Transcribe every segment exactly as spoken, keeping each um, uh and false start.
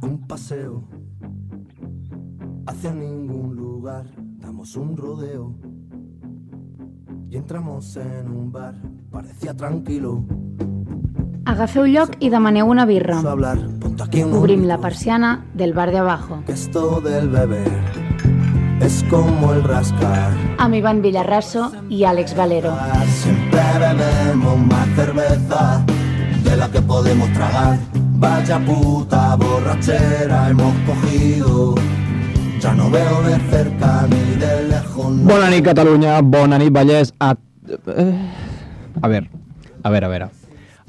Un paseo hacia ningún lugar, damos un rodeo y entramos en un bar, parecía tranquilo. Agafeu lloc i demaneu una birra. Hablar, Obrim la persiana del bar de abajo. Que esto del beber es como el rascar. Amb Iván Villarraso i Àlex Valero. Siempre bebemos más cerveza de la que podemos tragar. Vaya puta borrachera hemos cogido. Ya no veo de cerca ni de lejos. No. Bona nit, Catalunya. Bona nit, Vallès. A... Eh... a ver, a ver, a ver.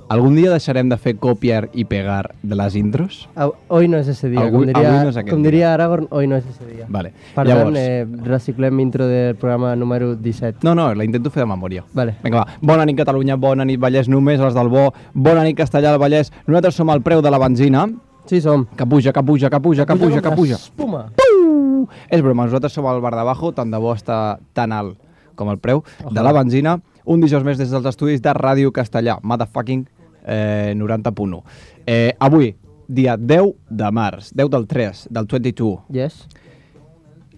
¿Algún día deixarem de fer copiar y pegar de las intros? Hoy no es ese día. Avui, com diria, no és com diria Aragorn, hoy no es ese día. Vale. Per Llavors... tant, eh, reciclem intro del programa número disset. No, no, la intento fer de memòria. Vale. Vinga, va. Bona nit, Catalunya. Bona nit, Vallès. Només els del bo. Bona nit, Castellà del Vallès. Nosaltres som al preu de la benzina. Sí, som. Que puja, que puja, que puja, que puja, que puja. Espuma. Puh! És broma, nosaltres som al bar de Bajo, tant de bo està tan alt com el preu Ojalà. de la benzina. Un dijous més des dels estudis de Ràdio Castellà. Motherfucking Eh, noranta punt u. Eh, avui, dia deu de març, deu del tres, del vint-i-dos. Yes.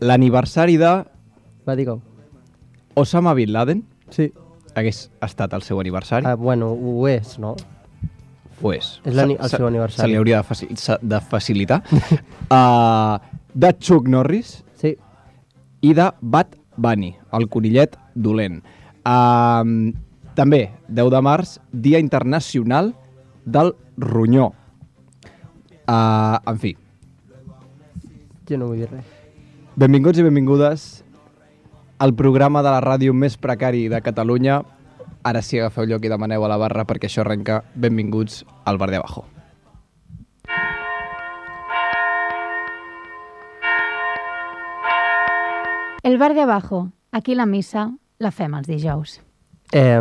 L'aniversari de Va, digue-ho. Osama Bin Laden. Sí. Hagués estat el seu aniversari. Ah, bueno, ho és, no? Pues, És el seu aniversari. Se li hauria de, faci de facilitar. uh, de Chuck Norris. Sí. I de Bad Bunny, el conillet dolent. Uh, També, deu de març, Dia Internacional del Ronyó. Uh, en fi. Jo no vull dir res. Benvinguts i benvingudes al programa de la ràdio més precari de Catalunya. Ara sí, agafeu lloc i demaneu a la barra perquè això arrenca. Benvinguts al bar de abajo. El bar de abajo. Aquí la missa la fem els dijous. Eh,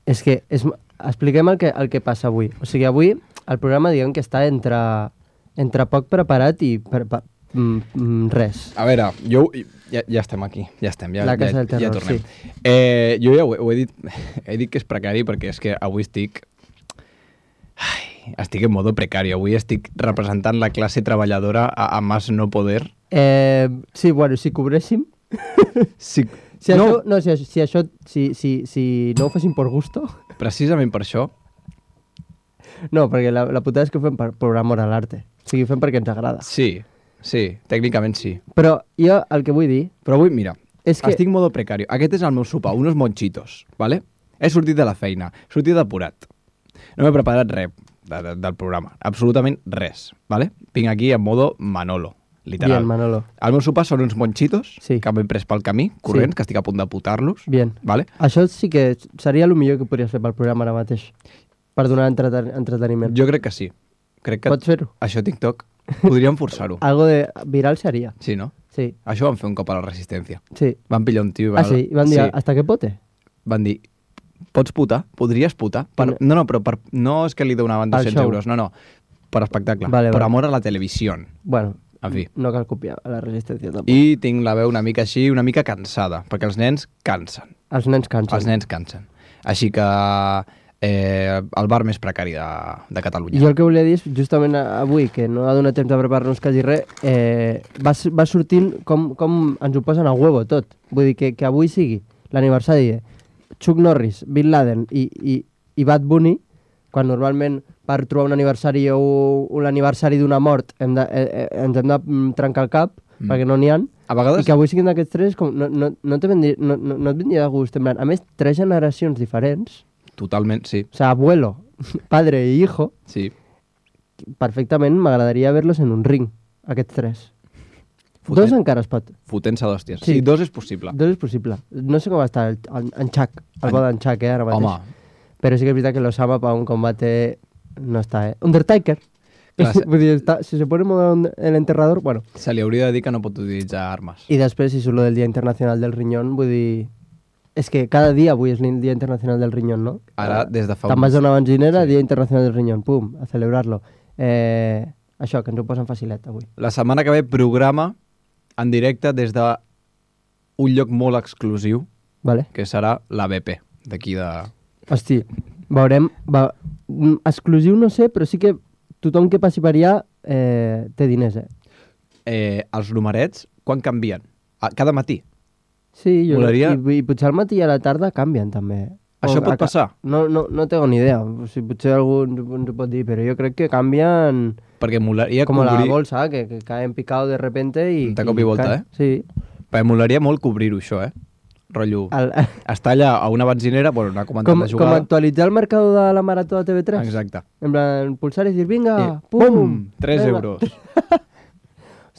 és que és, expliquem el que, el que passa avui. O sigui, avui el programa diguem que està entre, entre poc preparat i per, per, mm, res. A veure, jo ja, ja estem aquí, ja estem, ja, La casa ja, del terror, ja tornem. sí. Eh, jo ja ho, he- ho he dit, he dit que és precari perquè és que avui estic... Ai, estic en modo precari, avui estic representant la classe treballadora a, a más no poder. Eh, sí, bueno, si cobréssim... Si, Si no, això, no, si, si això, si, si, si no ho fessin per gusto... precisament per això, No, perquè la, la putada és que ho fem per, per amor a l'arte. O sigui, ho fem perquè ens agrada. sí, sí, tècnicament sí. Però jo el que vull dir... Però avui, mira, És que- estic en modo precario. Aquest és el meu sopar, unos monchitos, ¿vale? He sortit de la feina, he sortit depurat. No m'he preparat res de, de, del programa, absolutament res, ¿vale? Vinc aquí en modo Manolo, literal. Bien, Manolo. El meu sopar són uns monchitos Sí. que m'he pres pel camí, corrents, Sí. que estic a punt de putar-los, Bien. ¿vale? Això sí que seria el millor que podries fer pel programa ara mateix. Per donar entreten entreteniment. Jo crec que sí. Crec que Pots fer-ho? això TikTok podríem forçar-ho. Algo de viral seria. Sí, no? Sí, Això van fer un cop a la Resistència. sí. Van pillar un tio i Ah, sí? I van dir, sí. hasta qué pote? Van dir, pots putar? Podries putar? Per... No, no, però per... no és que li donaven Al dos-cents show. euros, no, no. Per espectacle. Vale, per vale. amor a la televisió. Bueno, En fi. no cal copiar a la resistència tampoc. I tinc la veu una mica així, una mica cansada, perquè els nens cansen. Els nens cansen. Els nens cansen. Així que eh, el bar més precari de, de Catalunya. Jo el que volia dir és, justament avui, que no ha donat temps de preparar-nos quasi res, eh, va, va sortint com, com ens ho posen a huevo tot. Vull dir que, que avui sigui l'aniversari de Chuck Norris, Bin Laden i, i, i Bad Bunny, quan normalment per trobar un aniversari o un aniversari d'una mort hem de, eh, eh, ens hem de mm, trencar el cap, Mm. perquè no n'hi ha. A vegades... I que avui siguin d'aquests tres, com, no, no, no, te vendria, no, no, no et vindria de gust. En plan, a més, tres generacions diferents, Totalment, sí. o sea, abuelo, padre i hijo, Sí. perfectament m'agradaria verlos en un ring, aquests tres. Fotent- Dos encara es pot. Fotent-se d'hòsties. Sí. Sí. dos és possible. Dos és possible. No sé com està el, el, en Chuck, el En- bo d'en Chuck, eh, ara mateix. Home, Però sí que és veritat que l'Osama per un combate no està, eh? Undertaker. Clar, se- Vull dir, està, si se pone modo el enterrador, bueno. se li hauria de dir que no pot utilitzar armes. I després, si surt lo del Dia Internacional del Riñón, vull dir... És que cada dia avui és el Dia Internacional del Riñón, no? Ara, des de fa Te'n uns- vas a una benzinera, Sí. Dia Internacional del Riñón, pum, a celebrar-lo. Eh, això, que ens ho posen facilet avui. La setmana que ve programa en directe des de un lloc molt exclusiu, Vale? que serà la B P, d'aquí de... Hosti, veurem... Va, mm, exclusiu no sé, però sí que tothom que passi per allà eh, té diners, eh? Eh, els numerets, quan canvien? Ah, cada matí. Sí, jo, Molaria- i, i potser al matí i a la tarda canvien també. Això O pot a ca- passar? No, no, no tengo ni idea, o sigui, potser algú ens, ho- ens ho pot dir, però jo crec que canvien Perquè molaria com la cobrir... bolsa, que, que caen picado de repente i... De cop i volta, caen. eh? Sí. Perquè molaria molt cobrir-ho, això, eh? Rotllo, El, estar allà a una benzinera, bueno, anar comentant com, de com jugada. actualitzar el mercado de la marató de T V tres. Exacte. En plan, pulsar i dir, vinga, I, pum, pum! tres venga. euros.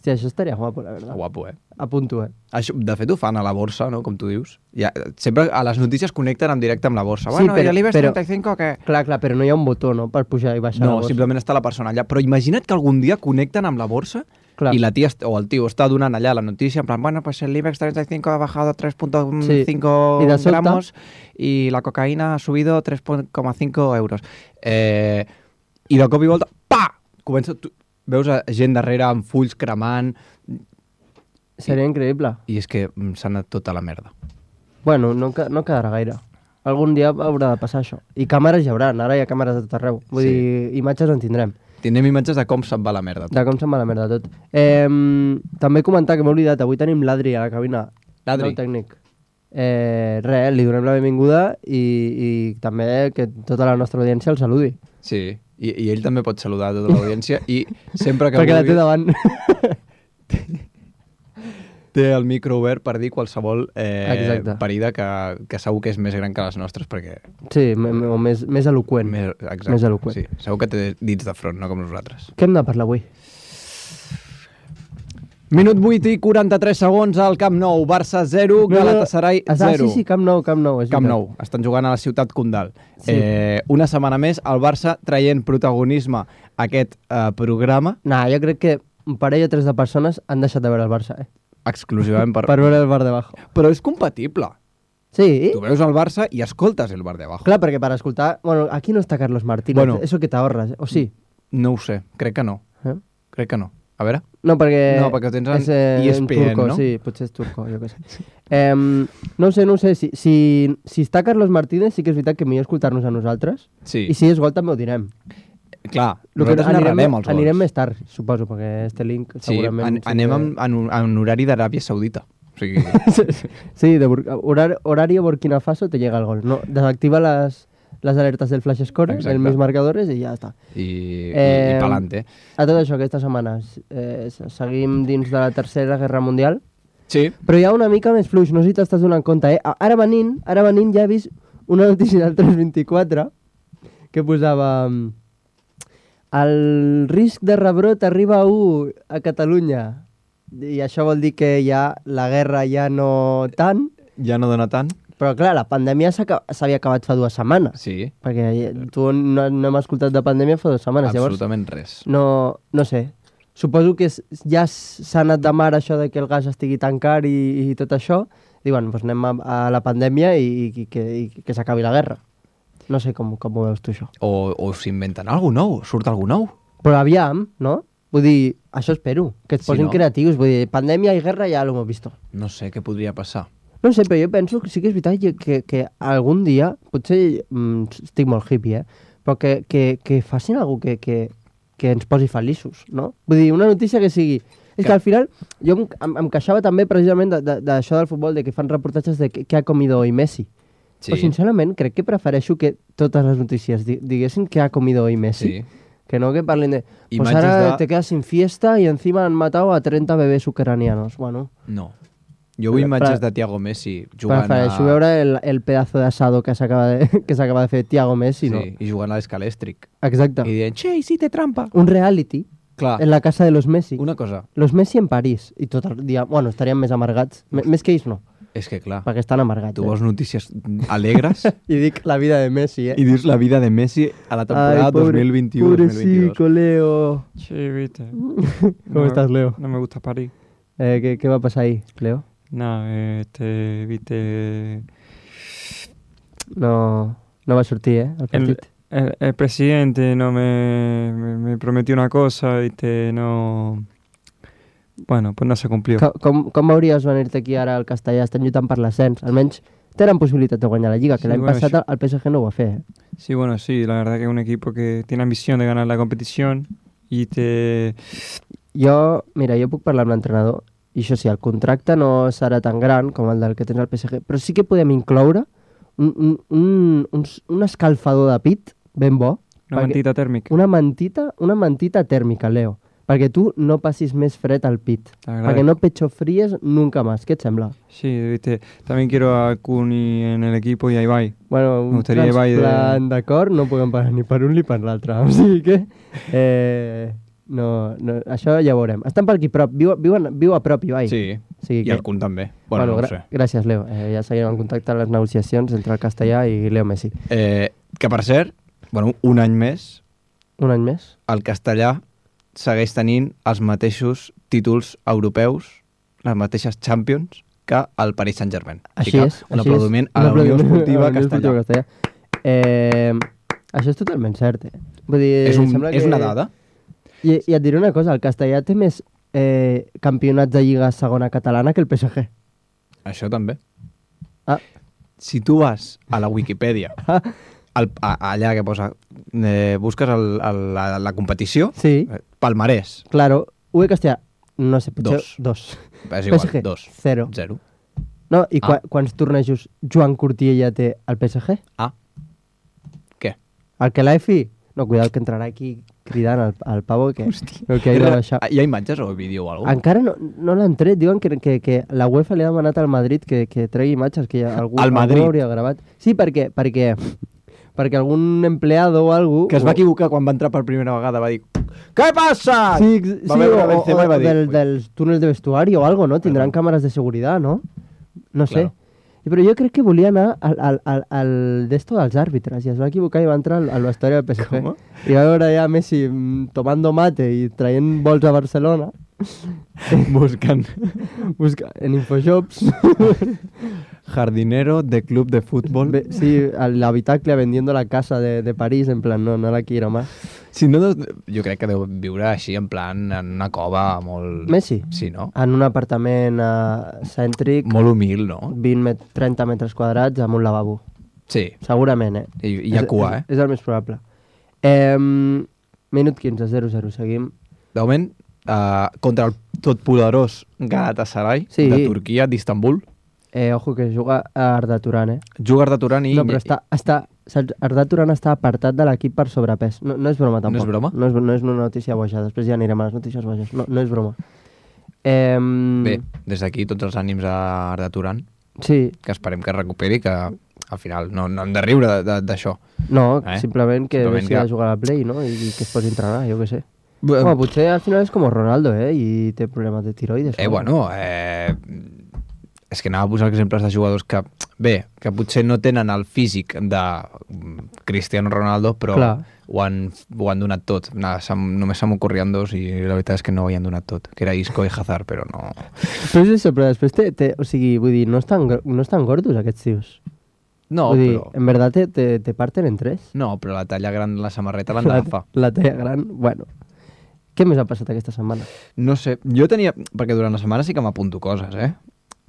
Hòstia, això estaria guapo, la verdad. Guapo, eh? Apunto, eh? Això, de fet, ho fan a la borsa, no?, com tu dius. Ja, sempre a les notícies connecten en directe amb la borsa. Sí, Bueno, però- i l'I B E X però- trenta i cinc, què? Clar, clar, però no hi ha un botó, no?, per pujar i baixar la No, borsa. simplement està la persona allà. Però imagina't que algun dia connecten amb la borsa Clar. i la tia est- o el tio està donant allà la notícia en plan, bueno, pues el I B E X treinta y cinco ha bajado tres coma cinco Sí. I de sobte- gramos y la cocaína ha subido tres coma cinco euros. Eh, I de cop i volta, pa! Comença, tu, veus a gent darrere amb fulls cremant Seria increïble. i és que mm, s'ha anat tota la merda. Bueno, no, ca- no quedarà gaire. Algun dia haurà de passar això. I càmeres hi haurà, ara hi ha càmeres a tot arreu. Vull Sí. dir, imatges en tindrem. Tindrem imatges de com se'n va la merda. De com se'n va la merda tot. Eh, també comentar que m'he oblidat, avui tenim l'Adri a la cabina. L'Adri. El tècnic. Eh, res, li donem la benvinguda i, i també que tota la nostra audiència el saludi. Sí, i, i ell també pot saludar a tota l'audiència i sempre que Perquè la vulgui té davant. té el micro obert per dir qualsevol eh, Exacte. parida que, que segur que és més gran que les nostres perquè... Sí, me- me- o més, més eloqüent. Més, exacte, Més eloqüent. Sí, segur que té dits de front, no com nosaltres. Què hem de parlar avui? Minut vuit i quaranta-tres segons al Camp Nou. Barça zero, Galatasaray Ah, zero. sí, sí, Camp Nou, Camp Nou. és Camp veritat. Nou. Estan jugant a la ciutat Condal. Sí. Eh, una setmana més, el Barça traient protagonisme a aquest eh, programa Nah, jo crec que un parell o tres de persones han deixat de veure el Barça, eh? exclusivament per... Per veure el bar de bajo. Però és compatible. Sí? Tu veus el Barça i escoltes el bar de abajo. Clar, perquè per escoltar... Bueno, aquí no està Carlos Martínez, Bueno. eso que t'ahorres, eh? O sí? No ho sé, crec que no. Eh? Crec que no. A veure... No, perquè... No, perquè ho tens en és, eh, E S P N, turco, no? Sí, potser és turco, jo què sé. Eh, no ho sé, no ho sé. Si, si, si està Carlos Martínez, sí que és veritat que millor escoltar-nos a nosaltres. Sí. I si és gol també ho direm. Clar, Lo que nosaltres narrarem els gols. anirem més tard, suposo, perquè este link Sí, segurament... an anem en, en, un- en horari d'Aràbia Saudita. O sigui, Sí, de Bur horar horario Burkina Faso te llega el gol. No, desactiva las, las alertas del flash score, Exacte. el mis marcadores i ja està. i, i, Eh, i pa'lante. A tot això, aquesta setmana eh, seguim dins de la Tercera Guerra Mundial, Sí, però hi ha una mica més fluix, no sé si t'estàs donant compte, eh? Ara venint, ara venint ja he vist una notícia del tres vint-i-quatre que posava mm, el risc de rebrot arriba a u a Catalunya. I això vol dir que ja la guerra ja no tant, ja no dona tant. però clar, la pandèmia s'aca- s'havia acabat fa dues setmanes, Sí, perquè tu no, no hem escoltat de pandèmia fa dues setmanes, llavors absolutament res. no, no sé. Suposo que s- ja s- s'ha anat de mar això de que el gas estigui tan car i, i tot això. Diuen, doncs anem a, a la pandèmia i, i, que, i que s'acabi la guerra. No sé com, com ho veus tu, això. O, o s'inventen alguna nou, surt alguna nou. Però aviam, no? Vull dir, això espero, que et Sí, posin no? creatius. Vull dir, pandèmia i guerra ja l'hem vist. No sé què podria passar. No sé, però jo penso que sí que és veritat que, que, que algun dia, potser mm, estic molt hippie, eh? però que, que, que facin alguna que, que, que ens posi feliços, no? Vull dir, una notícia que sigui... És que al final, jo em, em, em queixava també precisament d'això de, de, d'això del futbol, de que fan reportatges de què ha comido hoy Messi. Sí. Però sincerament crec que prefereixo que totes les notícies di diguessin què ha comido hoy Messi. Sí. Que no que parlen de... Pues Imatges ahora de- te quedas sin fiesta y encima han matado a treinta bebés ucranianos. Bueno, No. Jo vull Però- imatges però- de Thiago Messi jugant prefereixo a... veure el, el pedazo de asado que s'acaba de, que s'acaba de fer Thiago Messi, sí, no? i jugant a l'escalèstric. Exacte. I dient, che, hiciste trampa. Un reality Clar, en la casa de los Messi. una cosa, Los Messi en París. I tot el dia... Bueno, estarien més amargats. M més que ells no, és que clar, perquè estan amargats. tu eh? vols notícies alegres I dic la vida de Messi, eh? i dius la vida de Messi a la temporada dos mil vint-i-u dos mil vint-i-dos. Pobrecico, Leo. Sí, viste. ¿Cómo estás, Leo? No me gusta París. Eh, ¿qué, ¿Qué va a pasar ahí, Leo? Nada, este, viste. No, no va a sortir, eh? El El, partit. el, el presidente no me, me, me prometió una cosa, viste, no. Bueno, pues no se cumplió. Com, com, com veuries venir-te aquí ara al Castellà? Estan lluitant per l'ascens. Almenys tenen possibilitat de guanyar la Lliga, que Sí, l'any bueno, passat això- el P S G no ho va fer. Eh? Sí, bueno, sí, la verdad que es un equipo que tiene ambición de ganar la competición i té... Jo, mira, jo puc parlar amb l'entrenador, i això sí, el contracte no serà tan gran com el del que tens al P S G, però sí que podem incloure un, un, un, un, un escalfador de pit ben bo. Una mantita tèrmica. Una mantita, una mantita tèrmica, Leo, perquè tu no passis més fred al pit, perquè no pechofríes nunca más. ¿Qué te sembla? Sí, viste, también quiero a Kuni en el equipo y a Ibai. Bueno, un transplant, de... d'acord, no podem pagar ni per un ni per l'altre, o sigui que... Eh, no, no, això ja ho veurem. Estan per aquí prop, viu, viu, viu a prop, Ibai. Sí, o sigui i que... el Kun també. Bueno, bueno no ho sé. Gràcies, Leo. Eh, ja seguim en contacte a les negociacions entre el castellà i Leo Messi. Eh, que per cert, bueno, un any més... Un any més? El castellà segueix tenint els mateixos títols europeus, les mateixes Champions, que el Paris Saint-Germain. Així és. Un aplaudiment a la Unió Esportiva Castellà. Castellà. Eh, això és totalment cert. Eh? Vull dir, és, un, sembla és que... una dada. I, I et diré una cosa, el castellà té més eh, campionats de Lliga segona catalana que el P S G. Això també. Ah. Si tu vas a la Wikipedia, ah. al, a, allà que posa, eh, busques el, el, la, la competició, sí. eh, palmarès. Claro, U E castellà, no sé, potser dos. dos. És igual, P S G, dos. Zero. Zero. No, i ah. qu quants tornejos Joan Cortiella té al P S G? Ah. Què? El que l'A F I... No, cuidado que entrarà aquí cridant al, al pavo que, que ha de baixar. Hi ha imatges o vídeo o alguna cosa? Encara no, no l'han tret. Diuen que, que, que la UEFA li ha demanat al Madrid que, que tregui imatges, que algú, algú hauria gravat. Sí, perquè, perquè, perquè algun empleado o algú... Que es va equivocar quan va entrar per primera vegada, va dir «Què passa?» Sí, sí va o, o, o va dir, del, dels túnels de vestuari o algo, ¿no? Tindran Perdón. Càmeres de seguretat, ¿no? No sé. Claro. Però jo crec que volia anar al, al, al, al d'esto dels àrbitres i es va equivocar i va entrar al, al vestuari del P S G. Com? I va veure ja Messi tomando mate i traient bols a Barcelona. Buscant. Busca en Infoshops. Jardinero de club de fútbol. Be sí, l'habitacle vendiendo la casa de, de París, en plan, no, no la quiero más. Si no, jo crec que deu viure així, en plan, en una cova molt... Messi? Sí, no? En un apartament uh, cèntric... Molt humil, no? vint met trenta metres quadrats amb un lavabo. Sí. Segurament, eh? I, i hi ha cua, eh? És, és el més probable. Eh, minut quinze, zero zero, seguim. De moment, uh, contra el totpoderós Galatasaray, sí. de Turquia, d'Istanbul. Eh, ojo, que juga a Arda Turan, eh? Juga Arda Turan i... No, però està... està saps? Arda Turan està apartat de l'equip per sobrepès. No, no és broma, tampoc. No és broma? No és, no és una notícia boja. Després ja anirem a les notícies boges. No, no és broma. Eh, Bé, des d'aquí tots els ànims a Arda Turan. Sí. Que esperem que recuperi, que al final no, no hem de riure d'això. No, eh? simplement que simplement deixi que... de jugar a la Play, no? I, i que es posi a entrenar, jo què sé. Bueno, potser al final és com Ronaldo, eh? I té problemes de tiroides. Eh, bueno, eh... és que anava a posar exemples de jugadors que, bé, que potser no tenen el físic de Cristiano Ronaldo, però ho han, ho han donat tot. Nada, només se m'ocorrien dos i la veritat és que no ho havien donat tot, que era Isco i Hazard, però no... Però és això, però després té, té, o sigui, vull dir, no estan, no estan gordos aquests tios. No, vull dir, però... en veritat te, te, te parten en tres. No, però la talla gran de la samarreta l'han d'agafar. La, la talla gran, bueno... Què més ha passat aquesta setmana? No sé, jo tenia... Perquè durant la setmana sí que m'apunto coses, eh?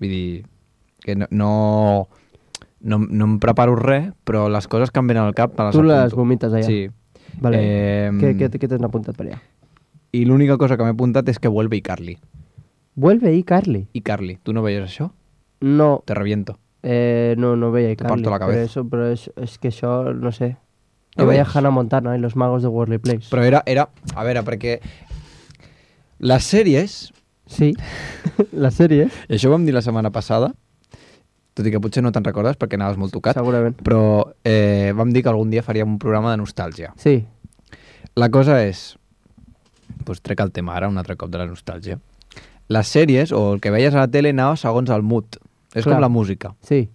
Vull dir, que no, no, no, no em preparo res, però les coses que em venen al cap me les tu apunto. Tu les vomites allà? Sí. Vale. Eh, què què, què t'has apuntat per allà? I l'única cosa que m'he apuntat és que vuelve iCarly. Vuelve iCarly? iCarly. Tu no veies això? No. Te reviento. Eh, no, no veia iCarly. Te parto la cabeza. Però, eso, però és, és que això, no sé... No jo veia veus? Hannah Montana i los magos de Worldly Place. Però era, era... A veure, perquè... Les sèries... Sí, les sèries. I això ho vam dir la setmana passada, tot i que potser no te'n recordes perquè anaves molt tocat. Segurament. Però eh, vam dir que algun dia faríem un programa de nostàlgia. Sí. La cosa és... Doncs trec el tema ara, un altre cop de la nostàlgia. Les sèries, o el que veies a la tele, anava segons el mood. És Clar. com la música. Sí.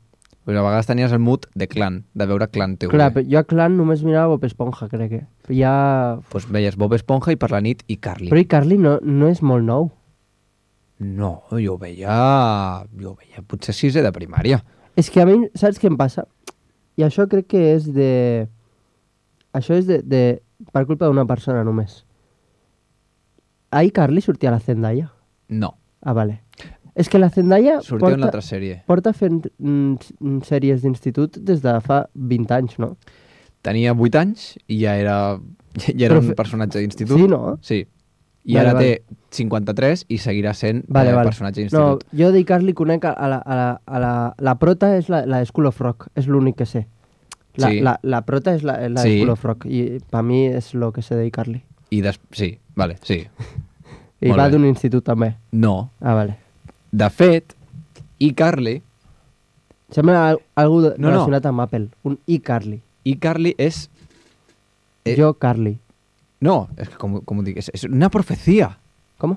Pues a vegades tenies el mood de Clan, de veure Clan T V. Clar, jo a Clan només mirava Bob Esponja, crec que. Ja... Pues veies Bob Esponja i per la nit iCarly. Però iCarly no, no és molt nou. No, jo ho veia... Jo ho veia potser sisè de primària. És que a mi, saps què em passa? I això crec que és de... Això és de... de... per culpa d'una persona només. A iCarly sortia la Zendaya? No. Ah, vale. És que la Zendaya sortia porta, en l'altra sèrie. porta fent mm, sèries d'institut des de fa vint anys, no? tenia vuit anys i ja era, ja era Però un fe- personatge d'institut. Sí, no? Sí. I Vale, ara vale. té cinquanta-tres i seguirà sent Vale, eh, vale. personatge No, d'institut. jo d'iCarly conec a, a, la, a, la, a la, la prota és la, la de School of Rock, és l'únic que sé. La, Sí. la, la prota és la, la de Sí. School of Rock i per mi és el que sé d'iCarly. I des... Sí, vale, sí. I Molt va bé. d'un institut també. No. Ah, vale. De fet, iCarly, Sembla al, algú de, No, no. relacionat amb Apple. Un iCarly. iCarly és... Eh. Jo, Carly. No, és que com, com ho dic, és, és una profecia. Com?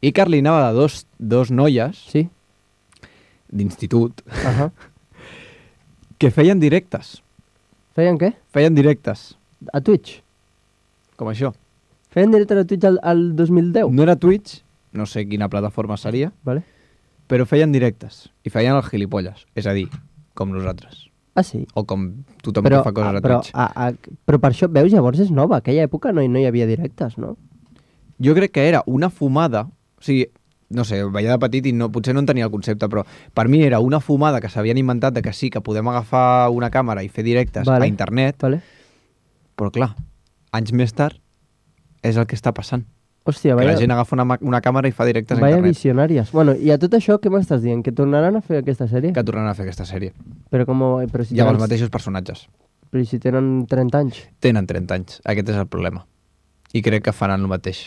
iCarly anava de dos, dos noies Sí? d'institut Ahà. que feien directes. Feien què? Feien directes, A Twitch? com això. Feien directe a Twitch al, al dos mil deu? No era Twitch, no sé quina plataforma seria, Vale. però feien directes i feien els gilipolles, és a dir, com nosaltres. Ah, sí? O com tothom Però, que fa coses ah, a però, Twitch. a, a, però per això, veus, llavors és nova. Aquella època no, hi- no hi havia directes, no? Jo crec que era una fumada, o sigui, no sé, veia de petit i no, potser no en tenia el concepte, però per mi era una fumada que s'havien inventat de que sí, que podem agafar una càmera i fer directes Vale. a internet, Vale. però clar, anys més tard és el que està passant. Hòstia, Que vaya, la gent agafa una, ma- una càmera i fa directes a vaya internet. visionàries. Bueno, i a tot això, què m'estàs dient? Que tornaran a fer aquesta sèrie? Que tornaran a fer aquesta sèrie. Però com... Però si I amb tenen, els mateixos personatges. però i si tenen trenta anys? Tenen trenta anys. Aquest és el problema. I crec que faran el mateix.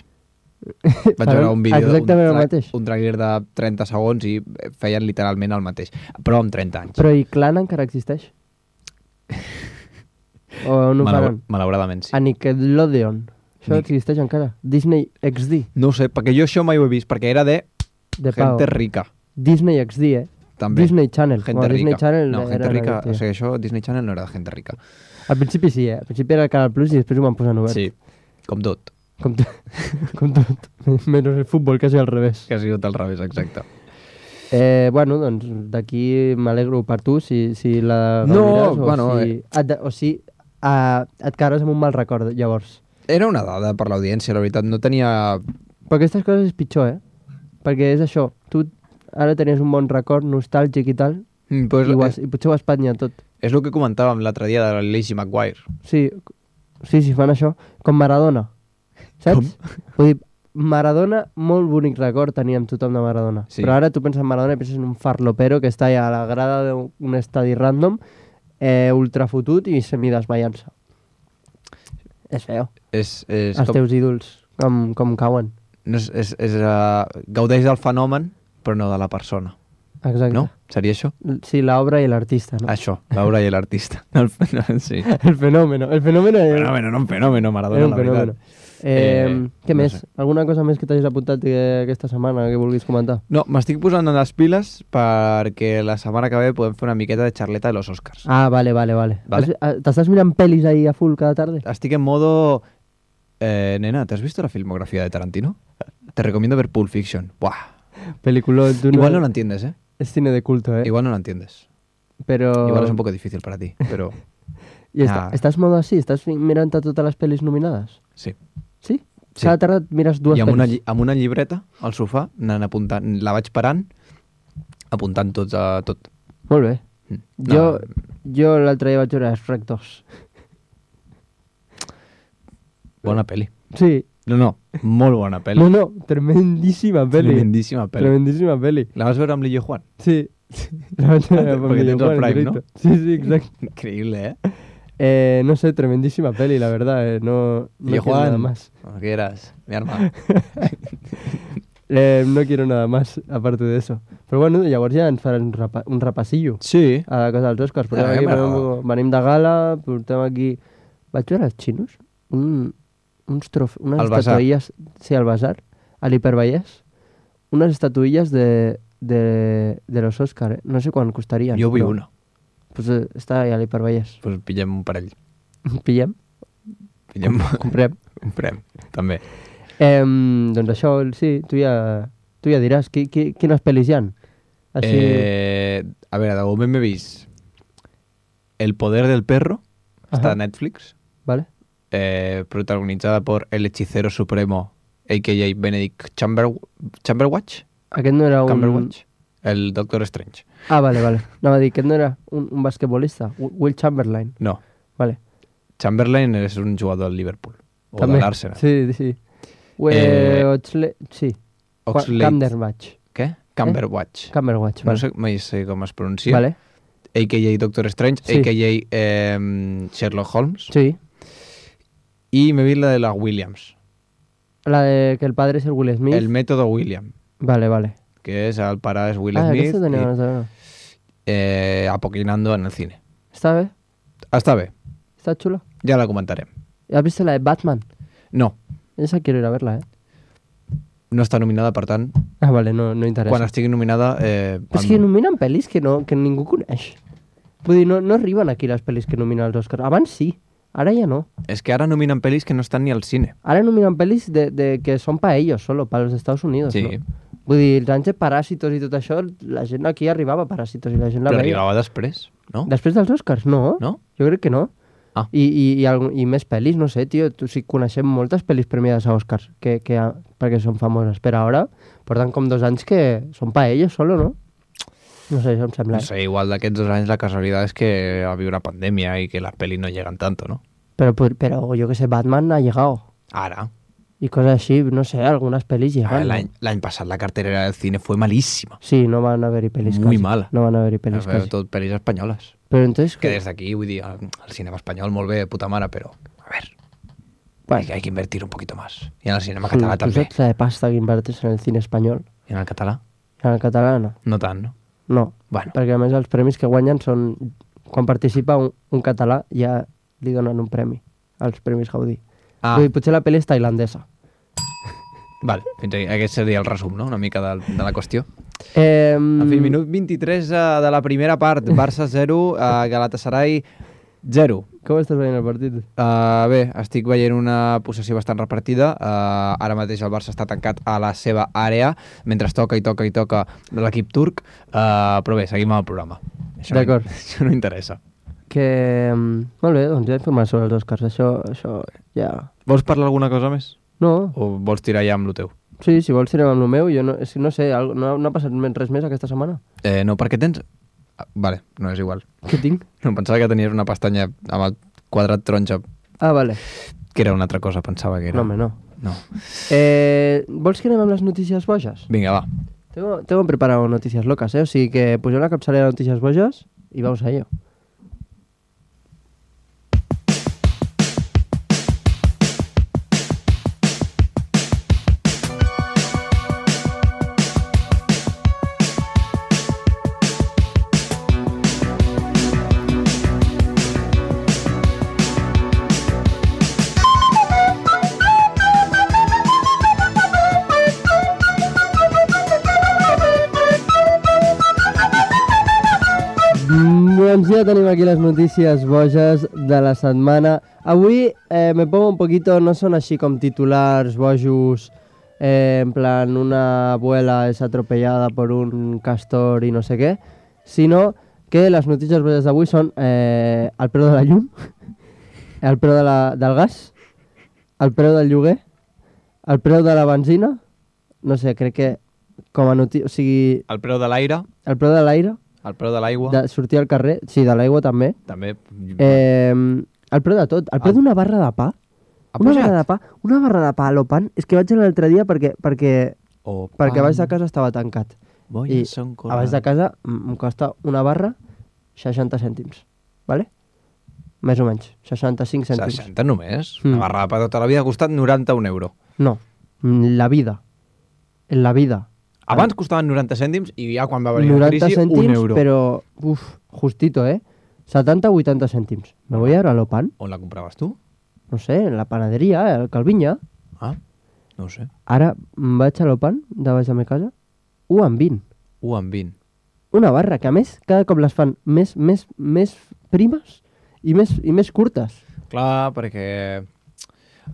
Vaig Faran veure un vídeo, un, exactament el tra- mateix. un trailer de trenta segons i feien literalment el mateix. Però amb trenta anys. Però i Clan encara existeix? O no ho Malaur- faran? Malauradament, sí. A Nickelodeon. Això Nic- existeix encara. Disney X D. No ho sé, perquè jo això mai ho he vist, perquè era de, De pago. gente rica, Disney X D, eh? també. Disney Channel. Gente Bueno, Disney rica. Channel no, era gente la rica, que- o sigui, això, Disney Channel no era de gente rica. Al principi sí, eh? Al principi era el Canal Plus i després ho van posar en obert. Sí, com tot. Com, to com tot. Menys el futbol, quasi al revés. Que ha sigut al revés, exacte. Eh, bueno, doncs d'aquí m'alegro per tu si, si la No, gaudiràs o bueno, si, eh. et, de- o si uh, et quedaràs amb un mal record, llavors. Era una dada per l'audiència, la veritat. No tenia... Però aquestes coses és pitjor, eh? Perquè és això, tu ara tenies un bon record nostàlgic i tal, Mm, però és, i, ho has, és, i potser ho has patnyat tot. és el que comentàvem l'altre dia de la Lizzie McGuire. Sí, sí, sí, fan això. Com Maradona, saps? Vull dir, Maradona, molt bonic record teníem tothom de Maradona. Sí. Però ara tu penses en Maradona i penses en un farlopero que està allà a la grada d'un estadi random, eh, ultrafotut i semidesmaiant-se. És feo. És, és, Els com, teus ídols, com, com cauen. no és, és, és uh, gaudeix del fenomen, però no de la persona. Exacte. No? Seria això? Sí, l'obra i l'artista, no? Això, l'obra i l'artista. El fenòmeno, sí. El fenómeno. El fenómeno és... Fenòmeno, no un fenòmeno, Maradona, Era un la fenómeno. veritat. Eh, Eh, què no més? sé. Alguna cosa més que t'hagis apuntat eh, aquesta setmana que vulguis comentar? No, m'estic posant en les piles perquè la setmana que ve podem fer una miqueta de xarleta de los Oscars. Ah, vale, vale, vale. Vale. Has- ah, T'estàs mirant pel·lis ahí a full cada tarde? Estic en modo... Eh, nena, ¿te has visto la filmografía de Tarantino? Te recomiendo ver Pulp Fiction. Buah. Película, tú Igual no la entiendes, ¿eh? Es cine de culto, ¿eh? Igual no la entiendes. Pero... Igual es un poco difícil para ti, pero I està, Ah. estàs modo així? Estàs fi- mirant a totes les pel·lis nominades? sí. Sí? Sí. Cada tarda et mires dues I amb una, pel·lis? lli- amb una llibreta al sofà, anant apuntant, la vaig parant, apuntant tots a tot. Molt bé. Mm. Jo, No, jo l'altre dia vaig veure Shrek dos. bona pel·li. Sí. No, no, molt bona pel·li. No, no, tremendíssima pel·li. Tremendíssima pel·li. Tremendíssima pel·li. La vas veure amb l'Illo Juan? Sí. La vaig veure amb Perquè el tens el Juan, Prime, directo. no? Sí, sí, exacte. Increíble, ¿eh? Eh, no sé, tremendísima peli, la verdad. eh, No, no Illo quiero nada Juan, más. cuando quieras, mi arma. Eh, no quiero nada más, aparte de eso. Però bueno, llavors ja ens farem un, rapa un repassillo Sí. a la cosa dels Oscars. Portem A aquí, mi m'agrada. portem, venim de gala, portem aquí... Vaig veure els xinos? Un, uns trof unes Al Basar. estatuilles... Sí, al Basar, a l'Hipervallès. Unes estatuilles de, de, de los Oscar, eh? No sé quan costarien. Jo vull però, una. Pues eh, està allà a l'Hipervallès. Pues pillem un parell. Pillem? Pillem, Comprem? comprem, també. Eh, doncs això, sí, tu ja, tu ja diràs. Qui, qui, quines pel·lis hi ha? Així... Eh, a veure, de moment m'he vist El poder del perro, està Ajá. a Netflix, Vale? eh, protagonizada por el hechicero supremo, a k a. Benedict Chamber Chamberwatch, Aquest no era un... Cumberbatch, el Doctor Strange. Ah, vale, vale. Anava a dir, aquest no era un, un basquetbolista, Wi- Will Chamberlain. No, Vale. Chamberlain és un jugador del Liverpool. O També. de l'Arsenal. Sí, sí. Ue, Eh, Oxlade... Sí. Oxlade... Cumberbatch. Què? Cumberbatch. Cumberbatch, No vale. sé, mai sé com es pronuncia. Vale. A K A Doctor Strange, Sí. A K A eh, Sherlock Holmes. Sí. Y me vi la de la Williams. La de que el padre es el Will Smith. El método William. Vale, vale. Que es al parar es Will ah, Smith. aquesta tenia y, ganes de veure. eh, apoquinando en el cine. Està bé? Està bé. Està xulo? Ya la comentarem. ¿Has visto la de Batman? No, Esa quiero ir a verla, ¿eh? no està nominada, per tant, Ah, vale, no, no interessa. quan estigui nominada... Eh, Però és que nominen pel·lis que, no, que ningú coneix. Vull dir, no, no arriben aquí les pel·lis que nominen els Oscars. Abans sí, ara ja no. És que ara nominen pel·lis que no estan ni al cine. Ara nominen pel·lis de, de que són pa ellos solo, para los Estados Unidos, Sí. no? Vull dir, els anys de Paràsitos i tot això, la gent aquí arribava a Paràsitos i la gent la Però veia. arribava després, no? Després dels Oscars, no. No? Jo crec que no. Ah. I, i, i, algun, I més pel·lis, no sé, tio. Tu, sí, coneixem moltes pel·lis premiades a Oscars que, que, perquè són famoses. Però ara porten com dos anys que són pa ellos solo, no? No sé, això em sembla. No sé, igual d'aquests dos anys la casualitat és que había una pandemia y que las pelis no llegan tanto, ¿no? Pero, pero yo que sé, Batman ha llegado. Ara. Y cosas así, no sé, algunas pelis Ah, llegan. ¿no? L'any l'any passat la carterera del cine fue malísima. Sí, no van a haver-hi pel·lis Muy casi. mala. No van a haver-hi pel·lis Pero casi. tot pelis espanyoles. Pero entonces... Que ¿qué? des d'aquí, vull dir, el, el cinema espanyol molt bé, puta mare, però, a ver, Bueno, hay, que- hay que invertir un poquito más. Y en el cinema tu, català tu també. saps la de pasta que inverteix en el cine espanyol? I en el català? En el català no. No tant, no? No, Bueno, perquè a més els premis que guanyen són... Quan participa un, un català ja li donen un premi als Premis Gaudí. ah, Vull dir, potser la pel·li és tailandesa. vale, fins aquí. Aquest seria el resum, no?, una mica de, de la qüestió. Eh, En fi, minut vint-i-tres uh, de la primera part, Barça zero, uh, Galatasaray zero. Com estàs veient el partit? Uh, bé, estic veient una possessió bastant repartida. Uh, ara mateix el Barça està tancat a la seva àrea, mentre toca i toca i toca l'equip turc. Uh, però bé, seguim amb el programa. Això no- D'acord. Això no interessa. Que... mm, Molt bé, doncs ja he informat sobre els Oscars. Això, això ja... Vols parlar alguna cosa més? No, O vols tirar ja amb lo teu? sí, si vols tirem amb el meu. Jo no, és que no sé, algo- no, no ha passat men- res més aquesta setmana. Eh, no, perquè tens... Ah, vale, no és igual. Què tinc? No, pensava que tenies una pestanya amb el quadrat taronja, Ah, vale. que era una altra cosa, pensava que era. No, home, no. No. Eh, vols que anem amb les notícies boges? Vinga, va. Tengo, tengo preparado noticias locas, ¿eh? O sigui que poseu la capçalera de noticias boges y vamos a ello. Mm, Doncs ja tenim aquí les notícies boges de la setmana. Avui eh, me pongo un poquito, no són així com titulars bojos, eh, en plan una abuela es atropellada por un castor i no sé què, sinó que les notícies boges d'avui són eh, el preu de la llum, el preu de la, del gas, el preu del lloguer, el preu de la benzina, no sé, crec que com a notícia, o sigui, El preu de l'aire, el preu de l'aire, el preu de l'aigua, de sortir al carrer, sí, de l'aigua també. també. Eh, el preu de tot, el preu El- d'una barra de pa. Ha Una pujat? barra de pa, una barra de pa a l'Opan, és que vaig anar l'altre dia perquè, perquè, O perquè pan, baix de casa estava tancat. voy I a Son a baix de casa m- em costa una barra seixanta cèntims, ¿vale? Més o menys, seixanta-cinc cèntims. seixanta només? Mm. Una barra de pa tota la vida ha costat noranta un euro. No, mm, la vida. En la vida. Abans costaven noranta cèntims i ja quan va venir la noranta crisi, un cèntims, euro. però, uf, justito, ¿eh? setanta a vuitanta cèntims. Me voy ahora a l'Opan, On la compraves tu? no sé, en la panaderia, al Calviña. Ah, no ho sé. Ara em vaig a l'Opan, de baix de la meva casa, u amb vint. un amb vint. Una barra que, a més, cada cop les fan més, més, més primes i més, i més curtes. Clar, perquè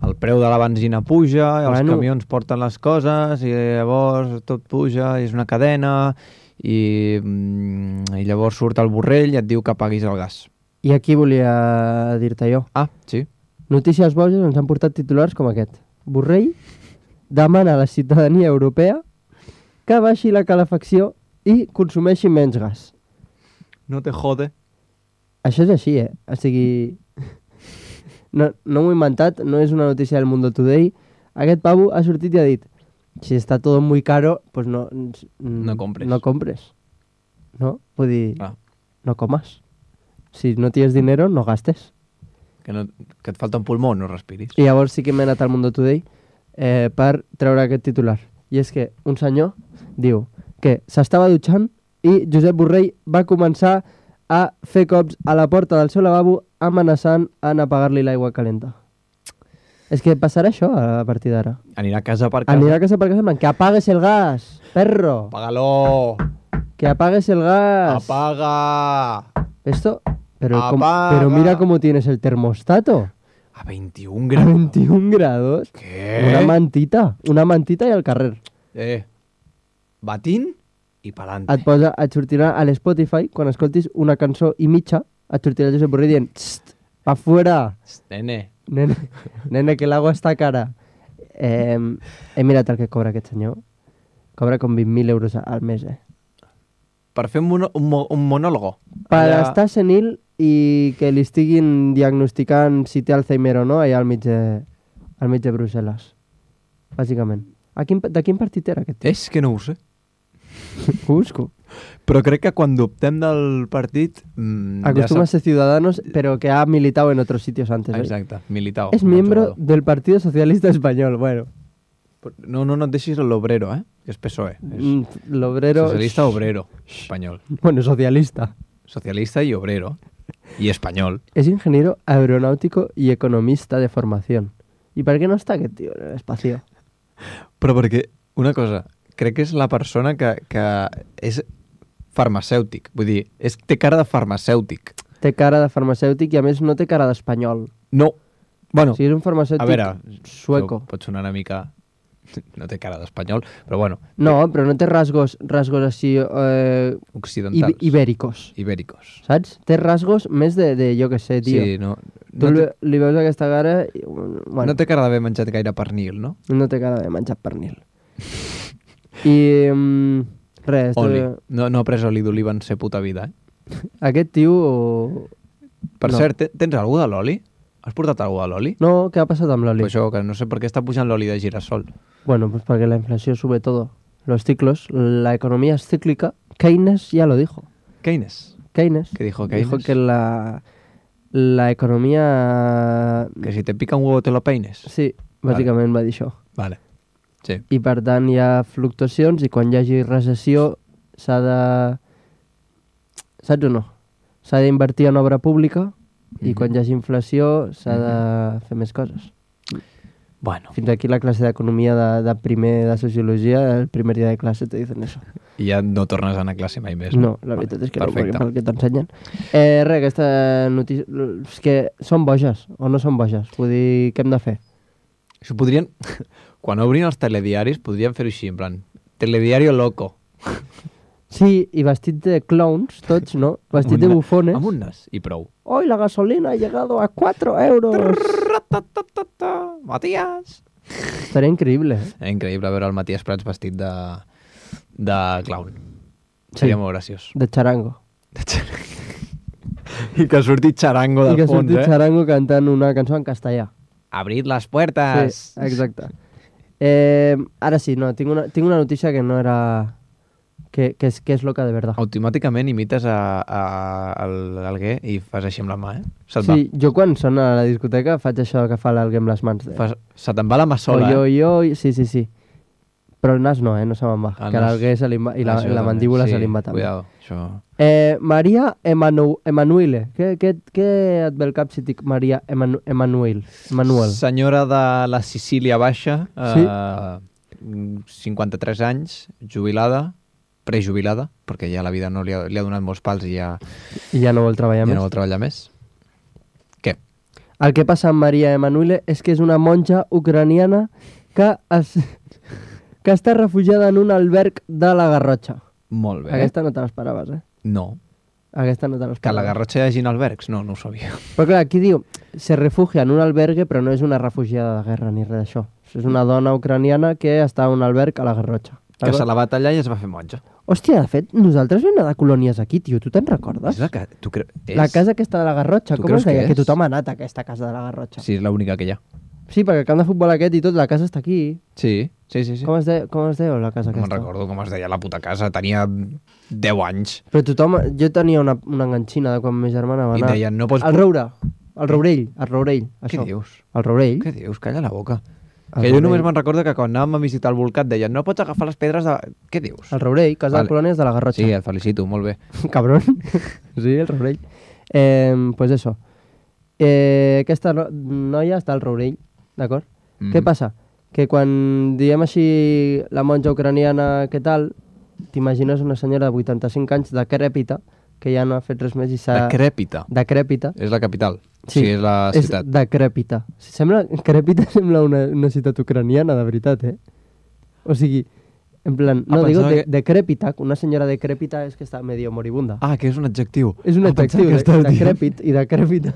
el preu de la benzina puja, i els Bueno. camions porten les coses, i llavors tot puja, i és una cadena, i, mm, i llavors surt el borrell i et diu que paguis el gas. I aquí volia dir-te jo. Ah, sí? Notícies boges ens han portat titulars com aquest. Borrell demana a la ciutadania europea que baixi la calefacció i consumeixi menys gas. No te jode. Això és així, eh? O sigui... no, no m'ho he inventat, no és una notícia del Mundo Today. Aquest pavo ha sortit i ha dit si està tot muy caro, pues no, no compres. No compres. No? Vull dir, Ah. no comas. Si no tienes dinero, no gastes. Que, no, que et falta un pulmó, no respiris. I llavors sí que m'he anat al Mundo Today eh, per treure aquest titular. I és que un senyor diu que s'estava dutxant i Josep Borrell va començar a fer cops a la porta del seu lavabo amenaçant en apagar-li l'aigua calenta. És que passarà això a partir d'ara. Anirà a casa per casa. Anirà a casa per casa en plan, que apagues el gas, perro. Apágalo. Que apagues el gas. Apaga. Esto, pero, com- Apaga. pero mira cómo tienes el termostato. A veintiún graus. veintiún grados. Què? Una mantita. Una mantita i al carrer. Eh, batín i pa'lante. Et, posa, et sortirà a l'Spotify, quan escoltis una cançó i mitja, et sortirà el Josep Borrell dient "Txt, pa fuera, Nene. nene, nene, que l'agua està cara". Eh, he mirat el que cobra aquest senyor. Cobra com vint mil euros al mes, eh? Per fer un, mono, un, mo, un monòlogo. Per Allà- estar senil i que li estiguin diagnosticant si té Alzheimer o no allà al mig de, al mig de Brussel·les. Bàsicament. A quin, de quin partit era aquest tio? És que no ho sé. Ho busco. Però crec que quan dubtem del partit... Mm, Acostuma a ja ser Ciudadanos, pero que ha militado en otros sitios antes. sap... ¿eh? Exacte, militao. Es com a miembro jugador. del Partido Socialista Español. Bueno, No, no, no et deixis l'obrero, eh? Que és P S O E. És mm, l'obrero... socialista obrero espanyol. Bueno, socialista. Socialista y obrero. Y español. Es ingeniero aeronáutico y economista de formación. ¿Y para qué no está aquest tio en el espacio? Però perquè, una cosa, crec que és la persona que, que és farmacèutic. Vull dir, és, té cara de farmacèutic. Té cara de farmacèutic i a més no té cara d'espanyol. No. Bueno, O sigui, és un farmacèutic a veure, sueco. això pot sonar una mica... No té cara d'espanyol, però bueno, No, però no té rasgos, rasgos així eh, occidentals. ib ibèricos, Ibèricos. saps? Té rasgos més de, de jo que sé, tio. Sí, no, Tu no, li, té, li veus aquesta cara i, bueno, no té cara d'haver menjat gaire pernil, no? no té cara de menjar pernil. I um, res, Oli. eh, No, no ha pres oli d'oliva en ser puta vida, eh? aquest tio... Per No. cert, te- tens algú de l'oli? Has portat algú de l'oli? No, què ha passat amb l'oli? Pues això, que no sé per què està pujant l'oli de girassol. Bueno, pues porque la inflación sube todo. Los ciclos, la economía es cíclica. Keynes ya lo dijo. Keynes. Keynes ¿Qué dijo dijo Keynes? que la, la economía... Que si te pica un huevo te lo peines. Sí, bàsicament va dir això. Vale. Sí. I per tant hi ha fluctuacions i quan hi hagi recessió s'ha de... Saps o no? S'ha d'invertir en obra pública i Mhm. quan hi hagi inflació s'ha de fer més coses. Bueno. Fins aquí la classe d'economia de, de primer de sociologia, el primer dia de classe te dicen eso. I ja no tornes a anar a classe mai més. No, la veritat és que perfecte. no, perquè pel que t'ensenyen. Eh, res, aquesta notícia... És que són boges o no són boges? Vull dir, què hem de fer? Això podrien... Quan obrin els telediaris, podrien fer-ho així, en plan... Telediario loco. Sí, i vestit de clowns, tots, no? Vestit Amb de un na- bufones. Amb un nas, i prou. Hoy la gasolina ha llegado a cuatro euros. Ra-ta-ta-ta-ta, Matías! Estaria increïble, eh? Era increïble veure el Matías Prats vestit de, de clown. Sí. Seria molt graciós. De charango. I que surti xarango I del que fons, surti eh? charango cantant una cançó en castellà. Abrid les puertes! Sí, exacte. Eh, ara sí, no, tinc una, tinc una notícia que no era... Que, que, és, que és loca de verdad. Automàticament imites a, a, al Alguer i fas així amb la mà, eh? Se't Sí, jo quan sona a la discoteca faig això que fa l'algue amb les mans. De... va. Fas, se te'n va la mà sola, jo, eh? jo, sí, sí, sí. Però el nas no, eh? No se me'n va. El que nas- l'algue se li va, i la, Això la també, mandíbula sí, se li va també. Cuidado, això... Eh, Maria Emanu Emanuele. Què, què, què et ve al cap si dic Maria Emanu Emanuel? Emanuel. Senyora de la Sicília Baixa, Sí. eh, cinquanta-tres anys, jubilada, prejubilada, perquè ja la vida no li ha, li ha donat molts pals i ja, I ja no vol treballar ja més. no vol treballar més. Què? El que passa amb Maria Emanuele és que és una monja ucraniana que, es, que està refugiada en un alberg de la Garrotxa. Molt bé. Aquesta no te l'esperaves, eh? No. Aquesta no te l'esperaves. Que a la Garrotxa hi hagin albergs? No, no ho sabia. Però clar, aquí diu, se refugia en un albergue, però no és una refugiada de guerra ni res d'això. És una dona ucraniana que està a un alberg a la Garrotxa. Que se la va tallar i es va fer monja. Hòstia, de fet, nosaltres vam anar de colònies aquí, tio, tu te'n recordes? És la que... Tu cre... és... La casa aquesta de la Garrotxa, Tu com creus es deia? que Que, és? tothom ha anat a aquesta casa de la Garrotxa. Sí, és l'única que hi ha. Sí, perquè el camp de futbol aquest i tot, la casa està aquí. Sí, sí, sí. sí. Com es, de... com es deia la casa No me'n aquesta? recordo com es deia la puta casa. Tenia deu anys. Però tothom... Jo tenia una, una enganxina de quan ma germana va I anar. em deien, no pots... El Roure, el Rourell, el Rourell, Què això. dius? El Rourell. Què dius? Calla la boca. El Que jo només Rourell. me'n recordo que quan anàvem a visitar el volcat deien no pots agafar les pedres de... Què dius? El Rourell, casa Vale. de colònies de la Garrotxa. Sí, et felicito, molt bé. Cabrón. Sí, el Rourell. Eh, pues eso. Eh, aquesta no noia està al Rourell, d'acord? Mhm. Què passa? Que quan diem així la monja ucraniana, què tal, t'imagines una senyora de vuitanta-cinc anys decrèpita, que ja no ha fet res més i s'ha... Decrèpita. Decrèpita. És la capital. Sí, sí és la ciutat. És decrèpita. Sembla, crèpita sembla una, una ciutat ucraniana, de veritat, eh? O sigui, en plan... Ah, No, digo pensava de, que- decrèpita, una senyora decrèpita és que està medio moribunda. Ah, que és un adjectiu. És un ah, pensava adjectiu, que de, estaves dient- decrèpit i decrèpita.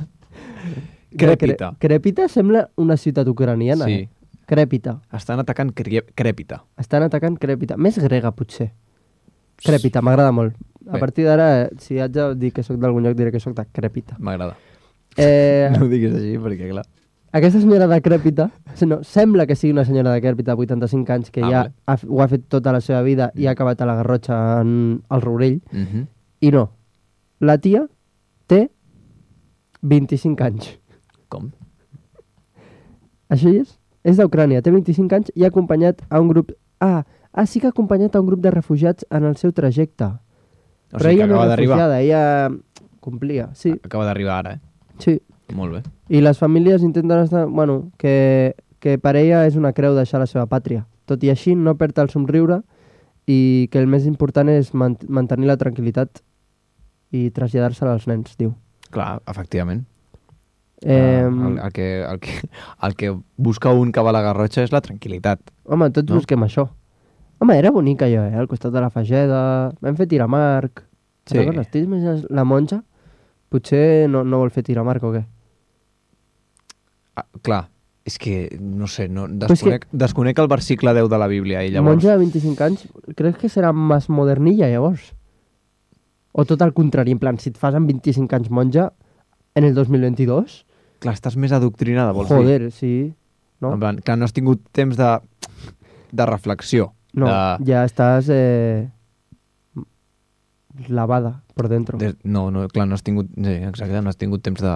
Crèpita. Cre- Crèpita sembla una ciutat ucraniana, Sí. eh? Crèpita. Estan atacant cre... crèpita. Estan atacant crèpita. Més grega, potser. Crèpita, m'agrada molt. A Bé. partir d'ara, eh, si haig de dir que sóc d'algun lloc, diré que sóc de crèpita. M'agrada. Eh, No ho diguis així, perquè clar... Aquesta senyora decrèpita, no, sembla que sigui una senyora decrèpita de vuitanta-cinc anys que Ah, ja vale. ha, ho ha fet tota la seva vida i ha acabat a la Garrotxa en el Rourell. Mm -hmm. I no, la tia té vint-i-cinc anys. Com? Això hi és? És d'Ucrània, té vint-i-cinc anys i ha acompanyat a un grup... Ah, ah, sí que ha acompanyat a un grup de refugiats en el seu trajecte. O Però sigui, que ella no acaba és d'arribar. refugiada, ella complia, sí, Acaba d'arribar ara, eh? sí. Molt bé. I les famílies intenten estar... Bueno, que, que per ella és una creu deixar la seva pàtria. Tot i així, no perd el somriure i que el més important és man mantenir la tranquil·litat i traslladar-se als nens, diu. Clar, efectivament. Eh, el, el, que, el, que, el que busca un que va a la Garrotxa és la tranquil·litat. Home, tots no? busquem això. Home, era bonic allò, eh? Al costat de la Fageda, vam fer tiramarc. Sí. Sí. T'imagines la monja? Potser no, no vol fer tiramarc o què? Ah, clar, és que, no sé, no, és desconec, que... desconec el versicle deu de la Bíblia i llavors... Monja de vint-i-cinc anys, creus que serà més modernilla, llavors? O tot el contrari, en plan, si et fas amb vint-i-cinc anys monja, en el dos mil vint-i-dos... Clar, estàs més adoctrinada, vols dir? Joder, sí. No, En plan, clar, no has tingut temps de, de reflexió. no de, ja estàs eh, lavada por dentro. de, no, no, clar, no has tingut... Sí, exacte, no has tingut temps de...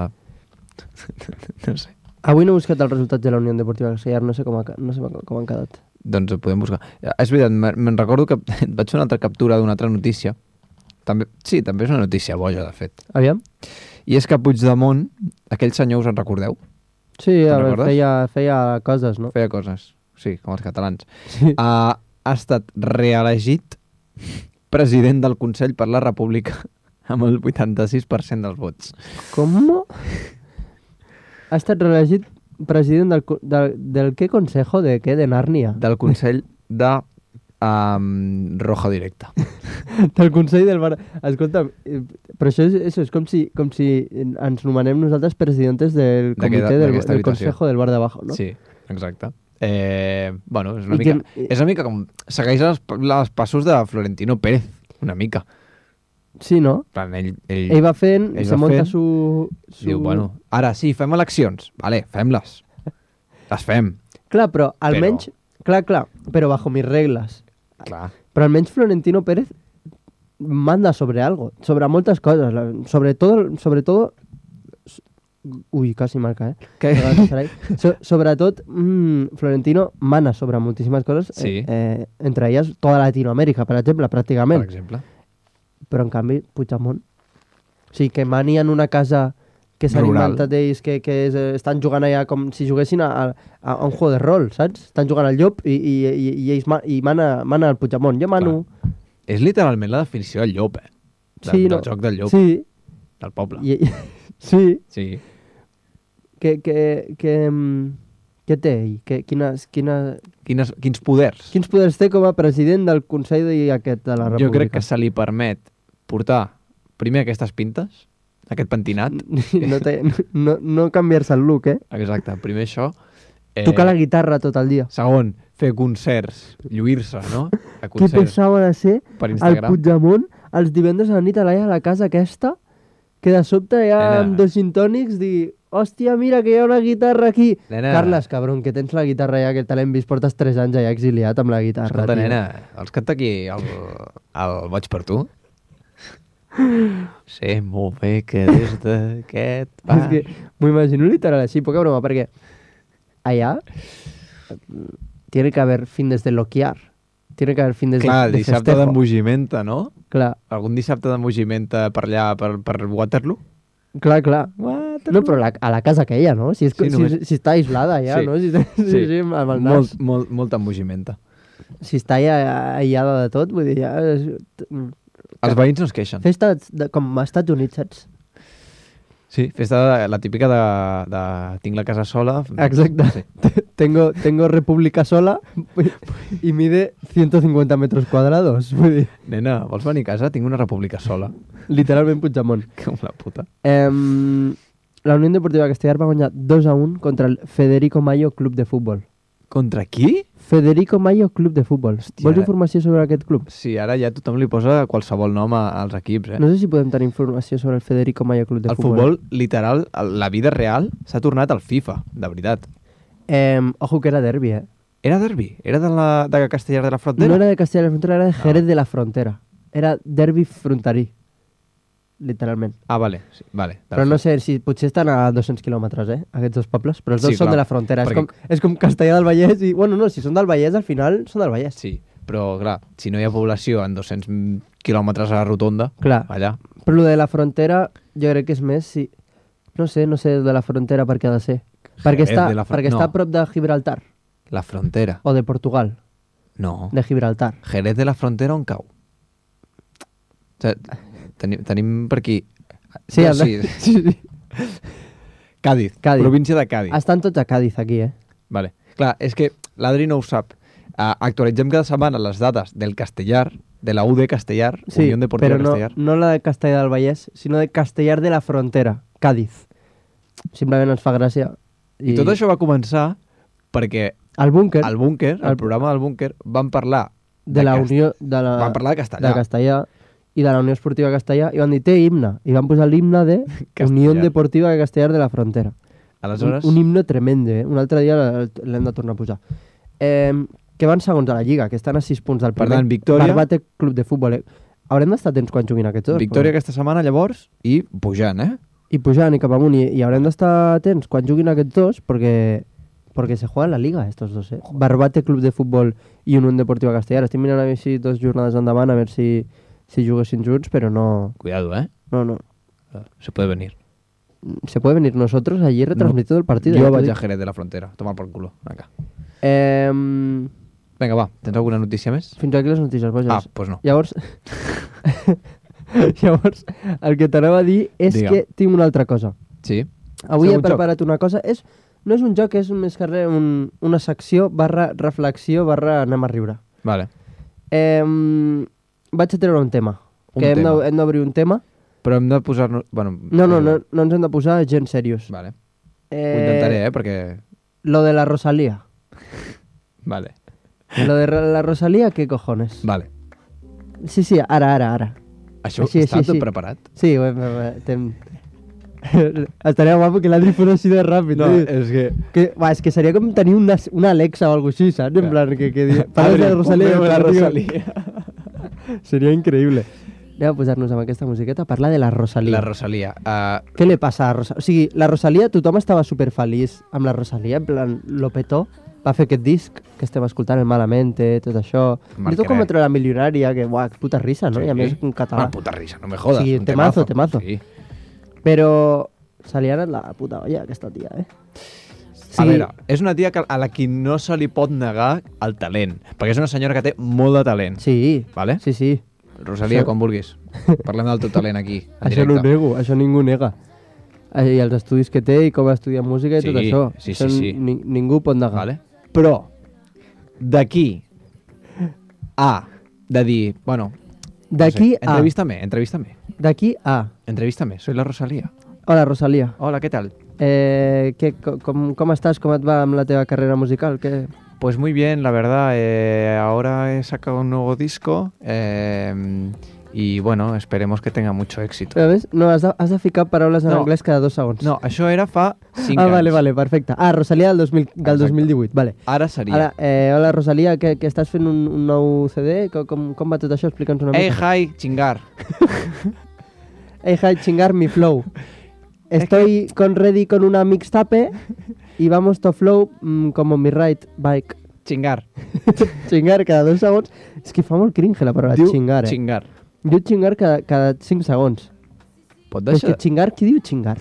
no sé. Avui no he buscat els resultats de la Unió Deportiva Castellar, no sé com, ha, no sé com han quedat. Doncs ho podem buscar. Eh, És veritat, me- me'n recordo que et vaig fer una altra captura d'una altra notícia. També, sí, també és una notícia boja, de fet. Aviam? I és que Puigdemont, aquell senyor, us en recordeu? Sí, a Te'n veure, recordes? feia, feia coses, no? Feia coses, sí, com els catalans. Sí. Ha, ha estat reelegit president del Consell per la República amb el vuitanta-sis per cent dels vots. Com? Ha estat reelegit president del, co- del, del què consejo? De què? De Nàrnia? Del Consell de um, Roja Directa. Del Consell del Bar... Escolta, eh, però això és, això és com si, com si ens nomenem nosaltres presidentes del D'aquesta- comitè del, d'aquesta del habitació. Consejo del Bar de Abajo, no? Sí, exacte. Eh, bueno, és una, I mica, que- és una mica com... Segueix els, els passos de Florentino Pérez, una mica. Sí, no? En plan, ell, ell, Ell va fent, ell se va monta fent, su, su... diu, bueno, ara sí, fem eleccions. Vale, fem-les. Les fem. Clar, però almenys... Clar, clar, però bajo mis regles. Clar. Però almenys Florentino Pérez manda sobre algo, sobre moltes coses, la- sobre todo, sobre todo... Ui, quasi marca, eh? Que... So, sobretot, mmm, Florentino mana sobre moltíssimes coses, Sí. eh, eh, entre elles tota Latinoamèrica, per exemple, pràcticament. Per exemple. Però, en canvi, Puigdemont... O sigui, que mani en una casa que s'han Rural. inventat ells, que, que és, eh, estan jugant allà com si juguessin a, a, a un juego de rol, saps? Estan jugant al llop i, i, i, i ells ma, i mana, mana el Puigdemont. Jo mano... És literalment la definició del llop, eh? De, Sí, del no. joc del llop, Sí, del poble. i, i, sí. Sí. Que, que, que, mm, què té ell? Que, quines, quines, Quines, quins poders? quins poders té com a president del Consell de, aquest de la República? Jo crec que se li permet portar primer aquestes pintes, aquest pentinat, no, té, no, no canviar-se el look, eh? exacte, primer això, Eh, Tocar la guitarra tot el dia. Segon, fer concerts, lluir-se, no? A Que pesava de ser per el Instagram. Puigdemont els divendres a la nit a la, a la casa aquesta, que de sobte ja Nena. amb dos gintònics dir hòstia, mira que hi ha una guitarra aquí. Nena. Carles, cabron, que tens la guitarra ja, que te l'hem vist, portes tres anys ja exiliat amb la guitarra. Escolta, tio. nena, vols canta aquí el, el Boig per tu? Sé molt bé que des d'aquest És bar... que m'ho imagino literal així, poca broma, perquè allà mm, tiene que haver fin des de loquiar. Tiene que haver fin des Clar, de, de dissabte festejo. d'embogimenta, no? Clar, Algun dissabte d'embogimenta per allà, per, per Waterloo? clar, clar. Waterloo. No, però la, a la casa aquella, no? Si, és, Sí, si, només- si està aislada ja, Sí. no? Si, si, Sí. sí, amb el nas. Molt, molt, molta embogimenta. Si està ja aïllada de tot, vull dir, ja... És... Els veïns no es queixen. Festa de, com als Estats Units, saps? Sí, festa de, la típica de, de tinc la casa sola. Exacte. Sí. Tengo, tengo república sola y mide ciento cincuenta metros cuadrados. Vull dir, Nena, vols venir a casa? Tinc una república sola. literalment Puigdemont. Com la puta. Em, la Unió Deportiva Castellar va guanyar dos a un contra el Federico Mayo Club de Futbol. Contra qui? Federico Mayo Club de Futbol. Hòstia, Vols ara- informació sobre aquest club? Sí, ara ja tothom li posa qualsevol nom a, als equips, eh? No sé si podem tenir informació sobre el Federico Mayo Club de El Futbol. futbol, literal, el- la vida real, s'ha tornat al FIFA, de veritat. Em, ojo que era derbi, eh? Era derbi? Era de, la, de Castellar de la Frontera? No era de Castellar de la Frontera, era de Jerez de la Frontera. Era derbi fronterí, literalment. Ah, vale, sí, vale. Però no sé si potser estan a dos-cents quilòmetres, eh, aquests dos pobles, però els dos Sí, són clar, de la frontera. És perquè- com, és com Castellar del Vallès i... Bueno, no, si són del Vallès, al final són del Vallès. Sí, però clar, si no hi ha població en dos-cents quilòmetres a la rotonda, Clar. allà... Però lo de la frontera, jo crec que és més si... No sé, no sé de la frontera per què ha de ser. Perquè, Jerez està, de la fron- perquè està no. a prop de Gibraltar, La frontera. o de Portugal, No. de Gibraltar. Jerez de la Frontera on cau? O sigui, tenim, tenim per aquí... Sí, no, el de- sí. sí, sí. Cádiz, Cádiz. província de Cádiz. Estan tots a Cádiz, aquí, eh? Vale. Clar, és que l'Adri no ho sap. Uh, actualitzem cada setmana les dades del Castellar, de la U D Castellar, Sí, Unió Deportiva però no, Castellar. no la de Castellar del Vallès, sinó de Castellar de la Frontera, Cádiz. Simplement ens fa gràcia. I... I tot això va començar perquè Al búnquer, al búnquer, al al- programa del búnquer, van parlar de la Cast- Unió... De la, Van parlar de Castellà. de Castellà i de la Unió Esportiva Castellà i van dir, té himne. I van posar l'himne de Castellar. Unió Deportiva de Castellar de la Frontera. Aleshores, Un, un himne tremende, eh? Un altre dia l- l'hem de tornar a posar. Eh, que van segons a la Lliga, que estan a sis punts del Per primer. tant, Victòria- Barbate Club de Futbol. Eh? Haurem d'estar atents quan juguin aquests dos. victòria però- aquesta setmana, llavors, i pujant, eh? I pujant i cap amunt. I, i haurem d'estar atents quan juguin aquests dos perquè, perquè se juega la Liga, estos dos, eh? Barbate Club de Futbol i Unió Deportiva Castellar. Estic mirant a veure si dos jornades endavant, a veure si, si juguessin junts, però no... Cuidado, eh? No, no. Se puede venir. Se puede venir nosotros allí retransmitiendo el partido. Jo ya te vaig dic. a Jerez de la Frontera, tomar por culo. Acá. Eh, Vinga, va, tens alguna notícia més? fins aquí les notícies, boges. Ah, doncs pues no. Llavors, llavors, el que t'anava a dir és Digue'm. que tinc una altra cosa. Sí? Avui Segon he preparat una cosa. És, no és un joc, és més que res un, una secció barra reflexió barra anem a riure. Vale. Eh, vaig a treure un tema. Un que hem tema. de- hem d'obrir un tema. Però hem de posar-nos... Bueno, No, no, no, no ens hem de posar gens serios. Vale. Eh, Ho intentaré, eh? Perquè... Lo de la Rosalía. Vale. Lo de ra- la Rosalía, ¿qué cojones? Vale. Sí, sí, ara, ara, ara. Això Així, està així, tot així. preparat? Sí, bueno, tem... estaria guapo que l'Adri fos així de ràpid. No, tio. és que... Que, va, és que seria com tenir una, una Alexa o alguna cosa així, saps? En Clar. plan, que, que di... Parles de la Rosalía. ponme la i te digo- Rosalía. Seria increïble. Anem a posar-nos amb aquesta musiqueta a parlar de la Rosalía. La Rosalia. Uh, Què li passa a Rosalía? O sigui, la Rosalía, tothom estava superfeliç amb la Rosalía, en plan, lo petó, va fer aquest disc que estem escoltant, el Malamente, tot això. Marcaré. I tot com a la milionària, que, buah, puta risa, no? I a més en català. Ah, puta risa, no me jodas. Sí, un temazo, temazo. Sí. Però se li ha anat la puta olla, aquesta tia, eh? A veure, és una tia que a la qui no se li pot negar el talent, perquè és una senyora que té molt de talent. Sí, Vale? sí, sí. Rosalia, Això- quan vulguis. Parlem del teu talent aquí, en Això no ho directe. nego, això ningú nega. Eh, I els estudis que té i com ha estudiat música i Sí, tot això. sí, Això sí, sí. Ni, ningú pot negar. Vale? Però, d'aquí a de dir, bueno... D'aquí no sé, a... Entrevístame, entrevístame. D'aquí a... Entrevístame, soy la Rosalía. Hola, Rosalía. Hola, ¿qué tal? Eh, què, com, com estàs? Com et va amb la teva carrera musical? Què... Pues muy bien, la verdad. Eh, ahora he sacado un nuevo disco eh, y bueno, esperemos que tenga mucho éxito. Però ves, no, has de, has de ficar paraules en No. anglès cada dos segons. No, això era fa cinc Ah, anys. vale, vale, perfecte. Ah, Rosalia del, dos mil, del Exacte. dos mil divuit, vale. Ara seria. Ara, eh, hola Rosalia, que, que estàs fent un, un nou C D? Com, com, com va tot això? Explica'ns una Hey, mica. hi, chingar. Hey, hi, chingar mi flow. Estoy con ready con una mixtape y vamos to flow mm, como mi ride bike. Chingar. Chingar cada dos segons. És que fa molt cringe la paraula Diu chingar, eh? chingar. Diu chingar cada, cada cinc segons. Pot Però és deixar... que chingar, qui diu chingar?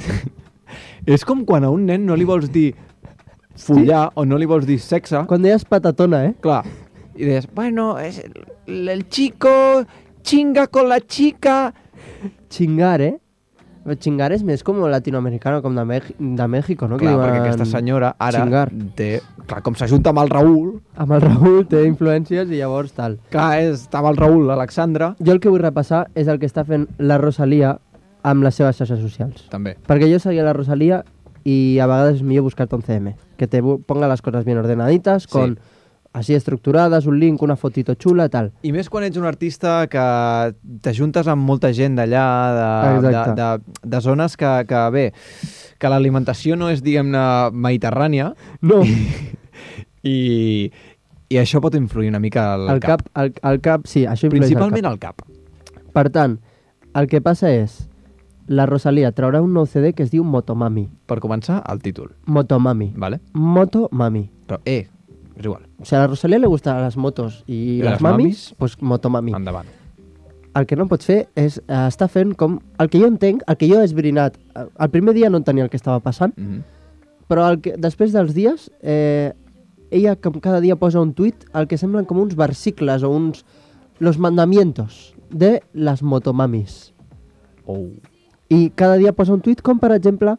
És com quan a un nen no li vols dir follar o no li vols dir sexe. Quan deies patatona, eh? Clar. I deies, bueno, es el, el chico chinga con la chica. Chingar, eh? Però chingar és més com latinoamericano, com de, Mex de México, no? Que Clar, diuen perquè aquesta senyora ara chingar. té... Clar, com s'ajunta amb el Raül, Amb el Raül té influències i llavors tal. clar, és, estava el Raül, l'Alexandra, Jo el que vull repassar és el que està fent la Rosalia amb les seves xarxes socials. també. Perquè jo seguia la Rosalia i a vegades és millor buscar-te un C M, que te bu- ponga les coses bien ordenaditas, con així estructurades, un link, una fotito xula, tal. I més quan ets un artista que t'ajuntes amb molta gent d'allà, de, de, Exacte. de, de zones que, que bé, que l'alimentació no és, diguem-ne, mediterrània, No, i, i això pot influir una mica al, al cap, al, al cap, sí, això influeix Principalment al al cap. cap. Per tant, el que passa és, la Rosalia traurà un nou C D que es diu Motomami. Per començar, el títol, Motomami. ¿vale? Motomami. Però, eh, és igual, O sea, a la Rosalia le gustan las motos i I les les mamis, mamis? pues Motomami. endavant. El que no pots fer és eh, estar fent com... El que jo entenc, el que jo he esbrinat, eh, el primer dia no entenia el que estava passant, Mm -hmm. però el que, després dels dies, eh, ella com cada dia posa un tuit el que semblen com uns versicles o uns... Los mandamientos de las motomamis. Oh. Y cada día posa un tuit com, per exemple,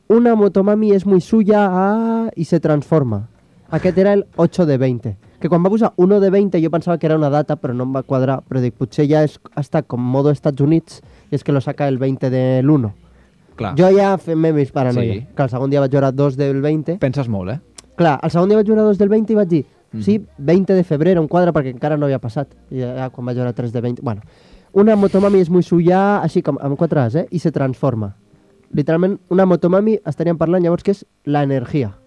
una motomami és muy suya ah, i se transforma. Aquest era el ocho de veinte. Que quan va posar uno de veinte jo pensava que era una data, però no em va quadrar. Però dic, potser ja és, està com modo Estats Units i és que lo saca el veinte del uno. Clar, Jo ja fem mis paranoia. Sí. Que el segon dia vaig veure dos del veinte. penses molt, eh? Clar, el segon dia vaig veure dos del veinte i vaig dir, Mhm. sí, veinte de febrer, un quadre, perquè encara no havia passat. I ja quan vaig veure tres de veinte... Bueno, una motomami és muy suya, així com amb quatre As, eh? I se transforma. Literalment, una motomami estaríem parlant llavors que és la energia.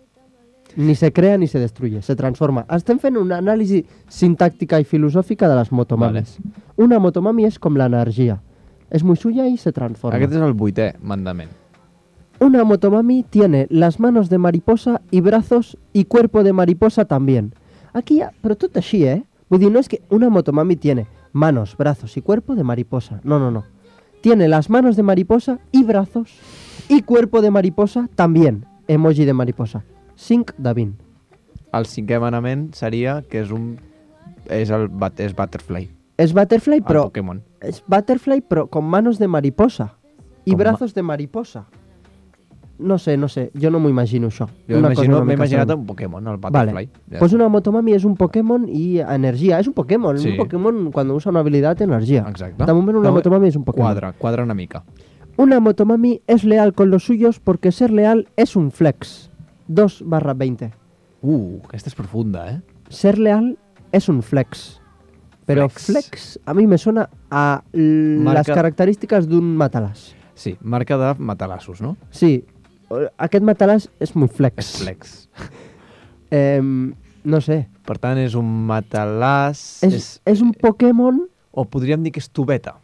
Ni se crea ni se destruye, se transforma. Estem fent una anàlisi sintàctica i filosòfica de les motomamis. Vale. Una motomami és com l'energia. És muy suya i se transforma. Aquest és el vuitè mandament. Una motomami tiene las manos de mariposa y brazos y cuerpo de mariposa también. Aquí ja, però tot així, eh? Vull dir, no és que una motomami tiene manos, brazos y cuerpo de mariposa. No, no, no. Tiene las manos de mariposa y brazos y cuerpo de mariposa también. Emoji de mariposa. cinc de vint. El cinquè manament seria que és un... és el bat, és Butterfly, És Butterfly, el però... Pokémon. És Butterfly, però con manos de mariposa. Y Com ma- brazos de mariposa. No sé, no sé. Jo no m'ho imagino, això. Jo Una cosa imagino- una m'he mica imaginat semblant. un Pokémon, el Butterfly. Vale. Pues una motomami és un Pokémon i energia. És un Pokémon. Sí. Un Pokémon, quan usa una habilitat, energia. Exacte. De moment, una No, motomami és un Pokémon. Quadra, quadra una mica. Una motomami es leal con los suyos porque ser leal es un flex. dos barra veinte. Uh, aquesta és profunda, eh? Ser leal es un flex. Però Flex. flex, a mi me suena a l- Marca- les característiques d'un matalàs. Sí, marca de matalassos, no? Sí, aquest matalàs és muy flex. És flex. Eh, no sé. Per tant, és un matalàs... És, és un Pokémon... O podríem dir que és tubeta.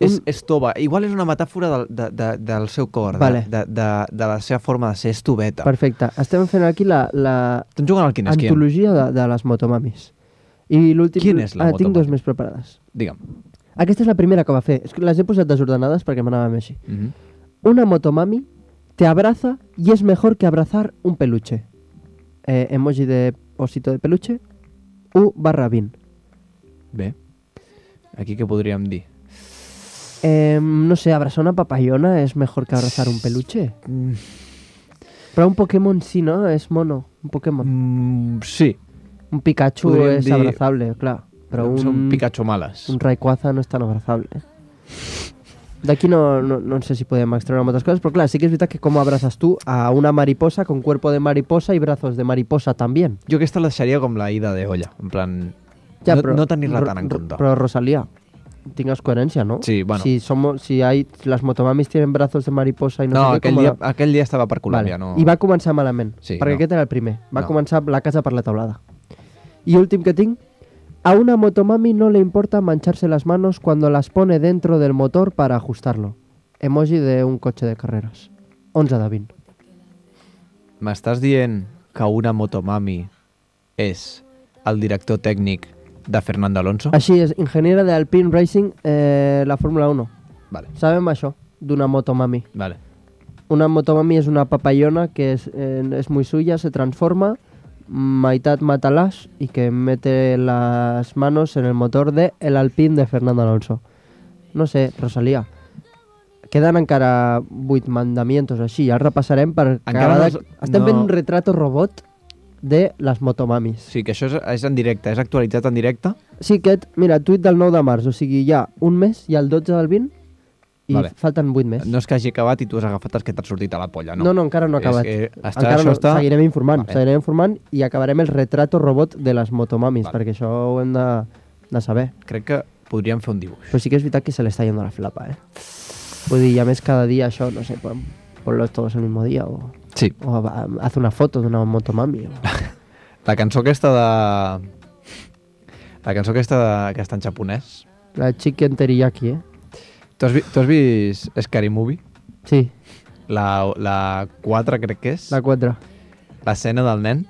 És, és tova. Igual és una metàfora del, de, de, del seu cor, Vale. de, de, de la seva forma de ser, és tubeta. Perfecte. Estem fent aquí la, la Estem jugant al quin és quin. antologia de, de les motomamis. I l'últim... Quin és la ah, tinc motomami? dos més preparades. Digue'm. Aquesta és la primera que va fer. És que les he posat desordenades perquè m'anàvem així. Mm -hmm. Una motomami te abraza y es mejor que abrazar un peluche. Eh, emoji de osito de peluche. U barra vint. Bé. Aquí què podríem dir? Eh, no sé, abrazar una papayona es mejor que abrazar un peluche. Mm, Però un Pokémon sí, no? És mono. Un Pokémon. mm, sí. Un Pikachu Podríem és dir- abrazable, clar. Però un, Són Pikachu males. un Rayquaza no és tan abrazable. D'aquí no, no, no sé si podem extreure moltes coses, però clar, sí que és veritat que com abraces tu a una mariposa con cuerpo de mariposa y brazos de mariposa también. Jo aquesta la deixaria com la ida de olla, en plan... Ja, no, però, no tenir-la ro- tan en ro- compte. Però Rosalía, tingues coherència, ¿no? Sí, bueno. Si, somos, si hay, las motomamis tienen brazos de mariposa y no, No, sé què... aquell com dia, la- aquell dia estava per Colòmbia, Vale. no... I va començar malament, Sí, perquè no. aquest era el primer. Va No. començar la casa per la taulada. Y últim que tinc, a una motomami no le importa mancharse las manos cuando las pone dentro del motor para ajustarlo. Emoji de un cotxe de carreras. onze de vint. M'estàs dient que una motomami és el director tècnic de Fernando Alonso? Així és, ingeniera de Alpine Racing, eh, la Fórmula uno. Vale, Sabem això d'una motomami. vale. Una motomami es una papayona que es, eh, es muy suya, se transforma, Maitat Matalas, y que mete las manos en el motor de el Alpine de Fernando Alonso. No sé, Rosalía. Queden encara vuit mandamientos així, ja els repassarem per Encara cada... no els- Estem no. fent un retrato robot de les motomamis. Sí, que això és, és en directe, és actualitzat en directe. Sí, aquest, mira, tuit del nou de març, o sigui, hi ha un mes, hi ha el dotze del vint, i Vale. falten vuit més. No és que hagi acabat i tu has agafat els que t'han sortit a la polla, no? No, no, encara no ha És acabat. que està- encara això no, està- seguirem informant, Vale. seguirem informant i acabarem el retrato robot de les motomamis, Vale. perquè això ho hem de, de saber. Crec que podríem fer un dibuix. Però sí que és veritat que se le està yendo la flapa, eh? Vull dir, i a més cada dia això, no sé, pon, ponlos todos el mismo día o, Sí. o va, haz una foto d'una motomami. O... La cançó aquesta de... La cançó aquesta de... que està en japonès. La chicken teriyaki, eh? Tu has, vi... tu has vist Scary Movie? Sí, La, la quatre crec que és. la quatre. L'escena del nen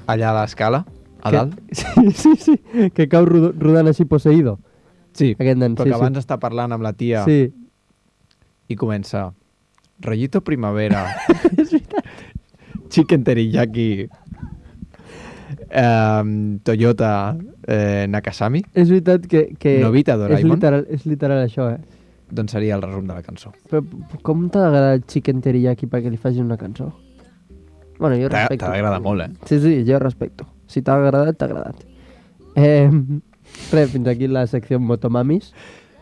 allà a l'escala, a Que- dalt. Sí, sí, sí, que cau ro- rodant així poseïdo. Sí, Aquest nen, però sí, que abans sí. està parlant amb la tia Sí, i comença Rollito Primavera, Chicken Teriyaki, eh, Toyota eh, Nakasami, és veritat que... que Novita és Doraemon. literal, és literal això, eh? Doncs seria el resum de la cançó. Però com t'ha agradat el chicken teriyaki perquè li facin una cançó? Bueno, jo T'ha respecto. t'ha d'agradar molt, eh? Sí, sí, jo respecto. Si t'ha agradat, t'ha agradat. Eh, res, fins aquí la secció motomamis.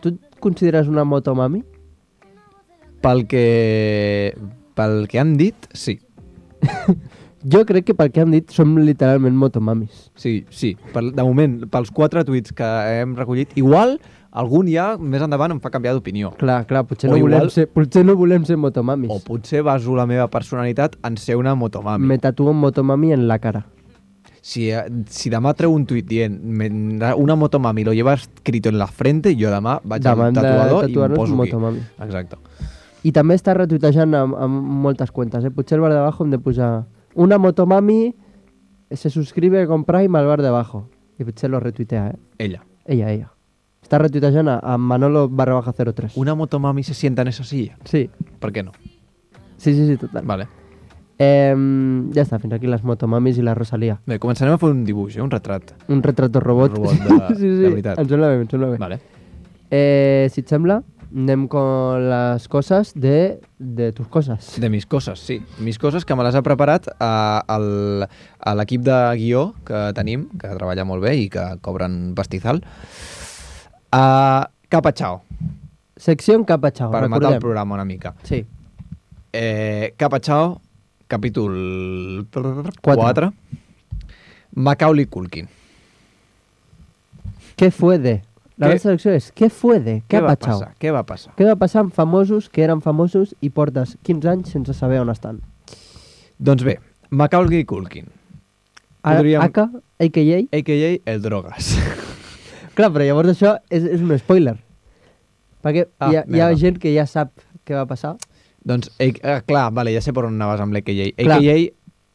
Tu et consideres una motomami? Pel que... Pel que han dit, sí. Jo crec que pel que han dit som literalment motomamis. Sí, sí. Per, de moment, pels quatre tuits que hem recollit, igual algun ja més endavant em fa canviar d'opinió. Clar, clar, potser O no, volem igual- ser, potser no volem ser motomamis. O potser baso la meva personalitat en ser una motomami. Me tatuo un motomami en la cara. Si, eh, si demà treu un tuit dient "Me- una motomami lo lleva escrito en la frente, jo demà vaig Demà al hem de tatuador i em tatuar-nos poso aquí. motomami. Exacte. I també està retuitejant amb, amb moltes cuentes, eh? Potser al bar de abajo hem de posar una motomami se suscribe con Prime al bar de abajo. I potser lo retuitea, eh? Ella. Ella, ella. Està retuitejant a, a Manolo barra baja cero tres. Una motomami se sienta en esa silla. Sí, Per què no? sí, sí, sí, total. Vale. Eh, ja està, fins aquí les motomamis i la Rosalía. Bé, començarem a fer un dibuix, eh? un retrat. Un retrato robot. Robot de- sí, sí, de veritat. em sembla bé, em sembla bé. Vale. Eh, si et sembla, anem con les coses de, de tus coses. De mis coses, sí. Mis coses que me les ha preparat a, al, a l'equip de guió que tenim, que treballa molt bé i que cobren pastizal. Uh, Capa Chao, Secció en capa chao, per matar recordem. el programa una mica. Sí. Eh, Capa Chao, capítol Quatre. quatre. Macaulay Culkin. Què fue de? La Què- nostra secció és què fue de? Què, Què ha va passat? passar? Què va passar? Què va passar amb famosos que eren famosos i portes quinze anys sense saber on estan? Doncs bé, Macaulay Culkin, A- Podríem- Aka, a k a. a k a el Drogas. Clar, però llavors això és, és un spoiler. Perquè Ah, hi, ha, hi ha merda. gent que ja sap què va passar. doncs, eh, eh, clar, vale, ja sé per on anaves amb l'A K A. Clar. A K A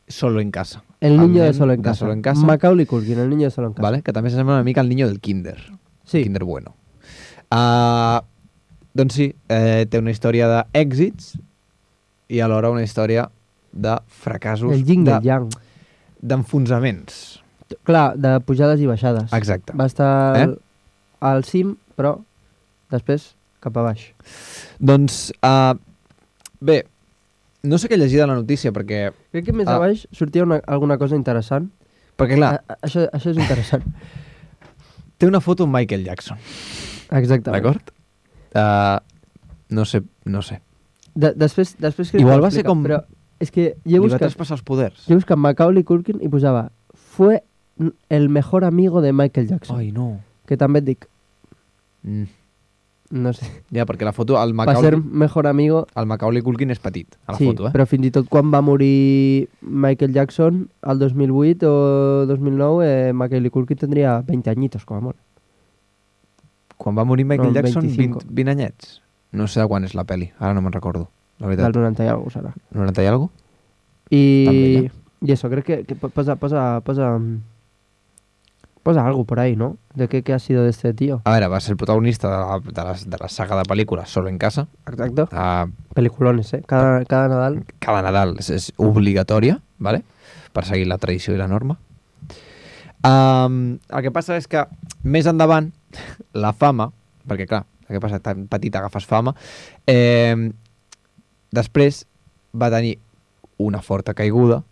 solo en casa. El El niño de nen Solo en de Casa. Solo en Casa. Macaulay Culkin, el niño de Solo en Casa. Vale? Que també s'assembla una mica al niño del kinder. Sí. Kinder bueno. Uh, doncs sí, eh, té una història d'èxits i alhora una història de fracassos, El yin i el de- yang. d'enfonsaments. Clar, de pujades i baixades. Exacte. Va estar Eh? al, al cim, però després cap a baix. Doncs, uh, bé, no sé què llegir de la notícia, perquè, Crec que més Ah. a baix sortia una, alguna cosa interessant. perquè clar, A, a, això, això és interessant. té una foto amb Michael Jackson, Exactament. d'acord? Uh, no sé, no sé. De, després, després que Igual va ser com... Però és que jo he Li va buscat, traspassar els poders. jo he buscat Macaulay Culkin i posava fue el mejor amigo de Michael Jackson. Ai, no. Que també et dic, Mm. no sé, Ja, perquè la foto, el va Macaulay, ser mejor amigo. el Macaulay Culkin és petit, a la Sí, foto, eh? però fins i tot quan va morir Michael Jackson, al dos mil vuit o dos mil nou, eh, Macaulay Culkin tindria vint añitos, com a molt. Quan va morir Michael No, Jackson, veinticinco. vint, vint anyets. No sé de quan és la peli, ara no me'n recordo, la Del veritat. noranta i alguna cosa. noranta i alguna cosa? I, També, y eso, creo que, que posa, posa, posa, posa algo por ahí, ¿no? De qué, qué ha sido de este tío. A veure, va ser el protagonista de la, de la, de la saga de pel·lícules Solo en casa. Exacto. Uh, Peliculones, ¿eh? Cada, cada Nadal. cada Nadal és, és obligatòria, ¿vale? Per seguir la tradició i la norma. Um, el que passa és que més endavant la fama, perquè clar, el que passa, tan petit agafes fama, eh, després va tenir una forta caiguda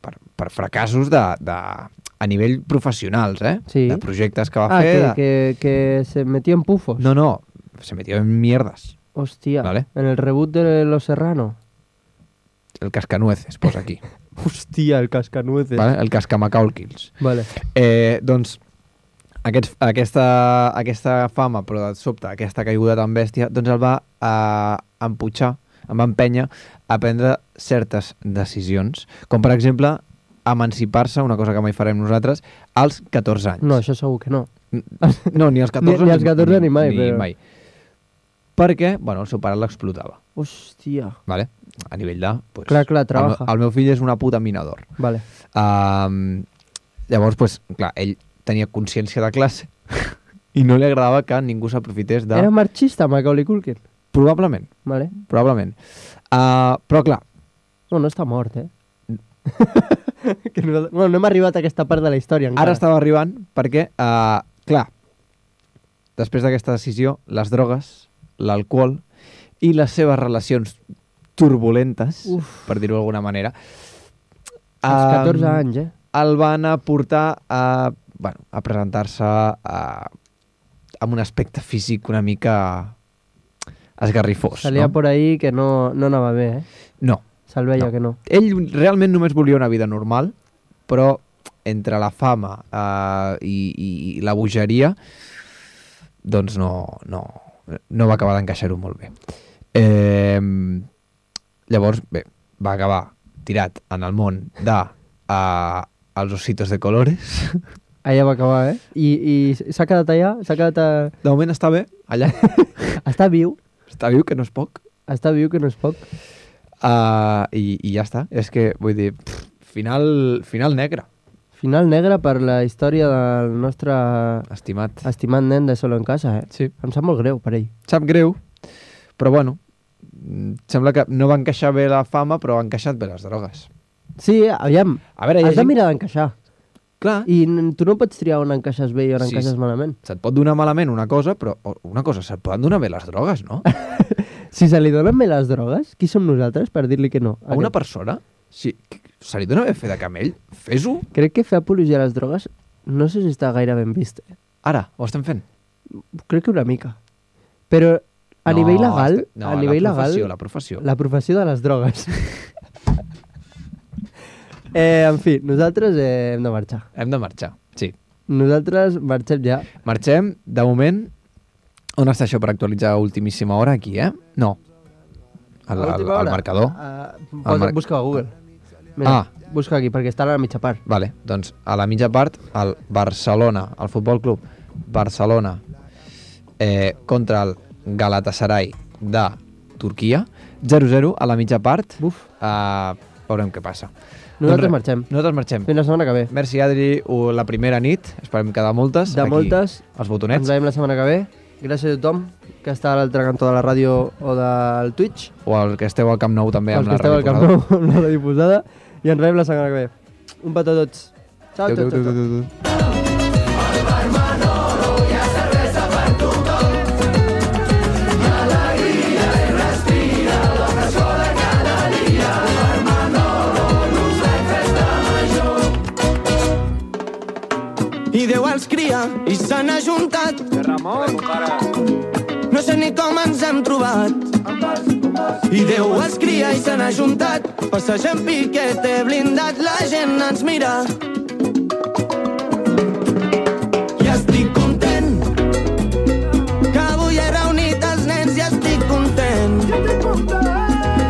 per, per fracassos de, de, a nivell professionals, eh? Sí. De projectes que va Ah, fer. que, de... que, que se metió en pufos. No, no, se metió en mierdas. Hostia, Vale. en el reboot de Los Serrano. El cascanueces, posa aquí. Hostia, el cascanueces. Vale? El cascamacaulquils. Vale. Eh, doncs, aquest, aquesta, aquesta fama, però de sobte aquesta caiguda tan bèstia, doncs el va eh, emputxar, em va empènyer a prendre certes decisions, com per exemple emancipar-se, una cosa que mai farem nosaltres, als catorze anys. No, això segur que no. No, ni als catorze, Ni- ni als catorze ni mai, Ni però- mai. Perquè, bueno, el seu pare l'explotava, Hostia. ¿vale? A nivell de... Pues, Clar, clar, el, trabaja. meu- el meu fill és una puta minador. Vale. Um, llavors, pues, clar, ell tenia consciència de classe i no li agradava que ningú s'aprofités de... Era marxista, Macaulay Culkin. Probablement, Vale. probablement. Uh, però clar, No, no està mort, eh? que nosaltres... Bueno, no hem arribat a aquesta part de la història encara. ara estava arribant perquè, uh, clar, després d'aquesta decisió, les drogues, l'alcohol i les seves relacions turbulentes, Uf. per dir-ho d'alguna manera, Als um, catorze anys, eh? el van a portar a, bueno, a presentar-se a, amb un aspecte físic una mica esgarrifós. Salia no? por ahí que no, no anava bé, eh? No. Se'l veia No. que no. Ell realment només volia una vida normal, però entre la fama eh, i, i, i la bogeria, doncs no, no, no va acabar d'encaixar-ho molt bé. Eh, llavors, bé, va acabar tirat en el món de uh, els ositos de colores. Allà va acabar, eh? I, i s'ha quedat allà? S'ha quedat a... De moment està bé, allà. Està viu. Està viu, que no és poc. Està viu, que no és poc. Uh, i, I ja està. És que, vull dir, pff, final, final negre, Final negre per la història del nostre estimat. estimat nen de Solo en Casa, eh? Sí. Em sap molt greu per ell. Sap greu, però bueno, mm, sembla que no va encaixar bé la fama, però ha encaixat bé les drogues. Sí, aviam, A veure, hi ha has de gent... mirar d'encaixar. Clar, I n- tu no pots triar on encaixes bé i on Sí, encaixes sí. malament. se't pot donar malament una cosa, però o- una cosa, se't poden donar bé les drogues, no? Si se li donen bé les drogues, qui som nosaltres per dir-li que no? A una Aquest- persona, si se li dona bé fer de camell, fes-ho. Crec que fer apologia a les drogues no sé si està gaire ben vist. Eh? Ara, ho estem fent. Crec que una mica. Però a No, nivell legal, este- no, a nivell la legal, professió, la professió. la professió de les drogues. eh, en fi, nosaltres eh, hem de marxar. Hem de marxar, sí. Nosaltres marxem ja. Marxem, de moment, on està això per actualitzar a ultimíssima hora? Aquí, eh? No. Al, A al, última al hora, marcador. Uh, Al mar- Busca a Google. Mira, Ah. busca aquí, perquè està a la mitja part. Vale, doncs a la mitja part, el Barcelona, el Futbol Club Barcelona eh, contra el Galatasaray de Turquia, zero zero a la mitja part. Buf. Uh, veurem què passa. Nosaltres Doncs res, marxem. Nosaltres marxem. Fins la setmana que ve. Merci, Adri, u- la primera nit. Esperem que de moltes. De Aquí, moltes. Els Ens botonets. veiem la setmana que ve. Gràcies a tothom que està a l'altre cantó de la ràdio o del Twitch. O el que esteu al Camp Nou també Els amb que la esteu al ràdio Camp posada. Nou amb la ràdio posada. I ens veiem la setmana que ve. Un petó a tots. Ciao, Adéu, ciao, adéu, ciao. adéu, ciao. adéu. I Déu els cria i s'han ajuntat. Ramon, para. No sé ni com ens hem trobat. I Déu es cria i se n'ha juntat. Passegem piquete blindat, la gent ens mira. I estic content que avui he reunit els nens i estic content.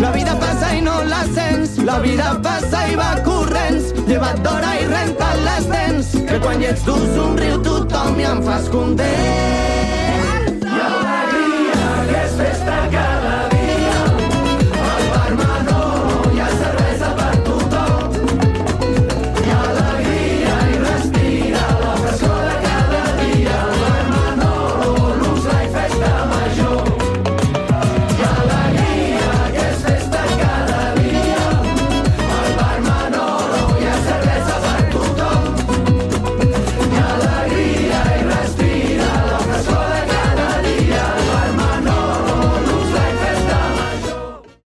La vida passa i no la sents, la vida passa i va corrents. Lleva't d'hora i renta't les dents, que quan hi ets tu somriu tothom i em fas content.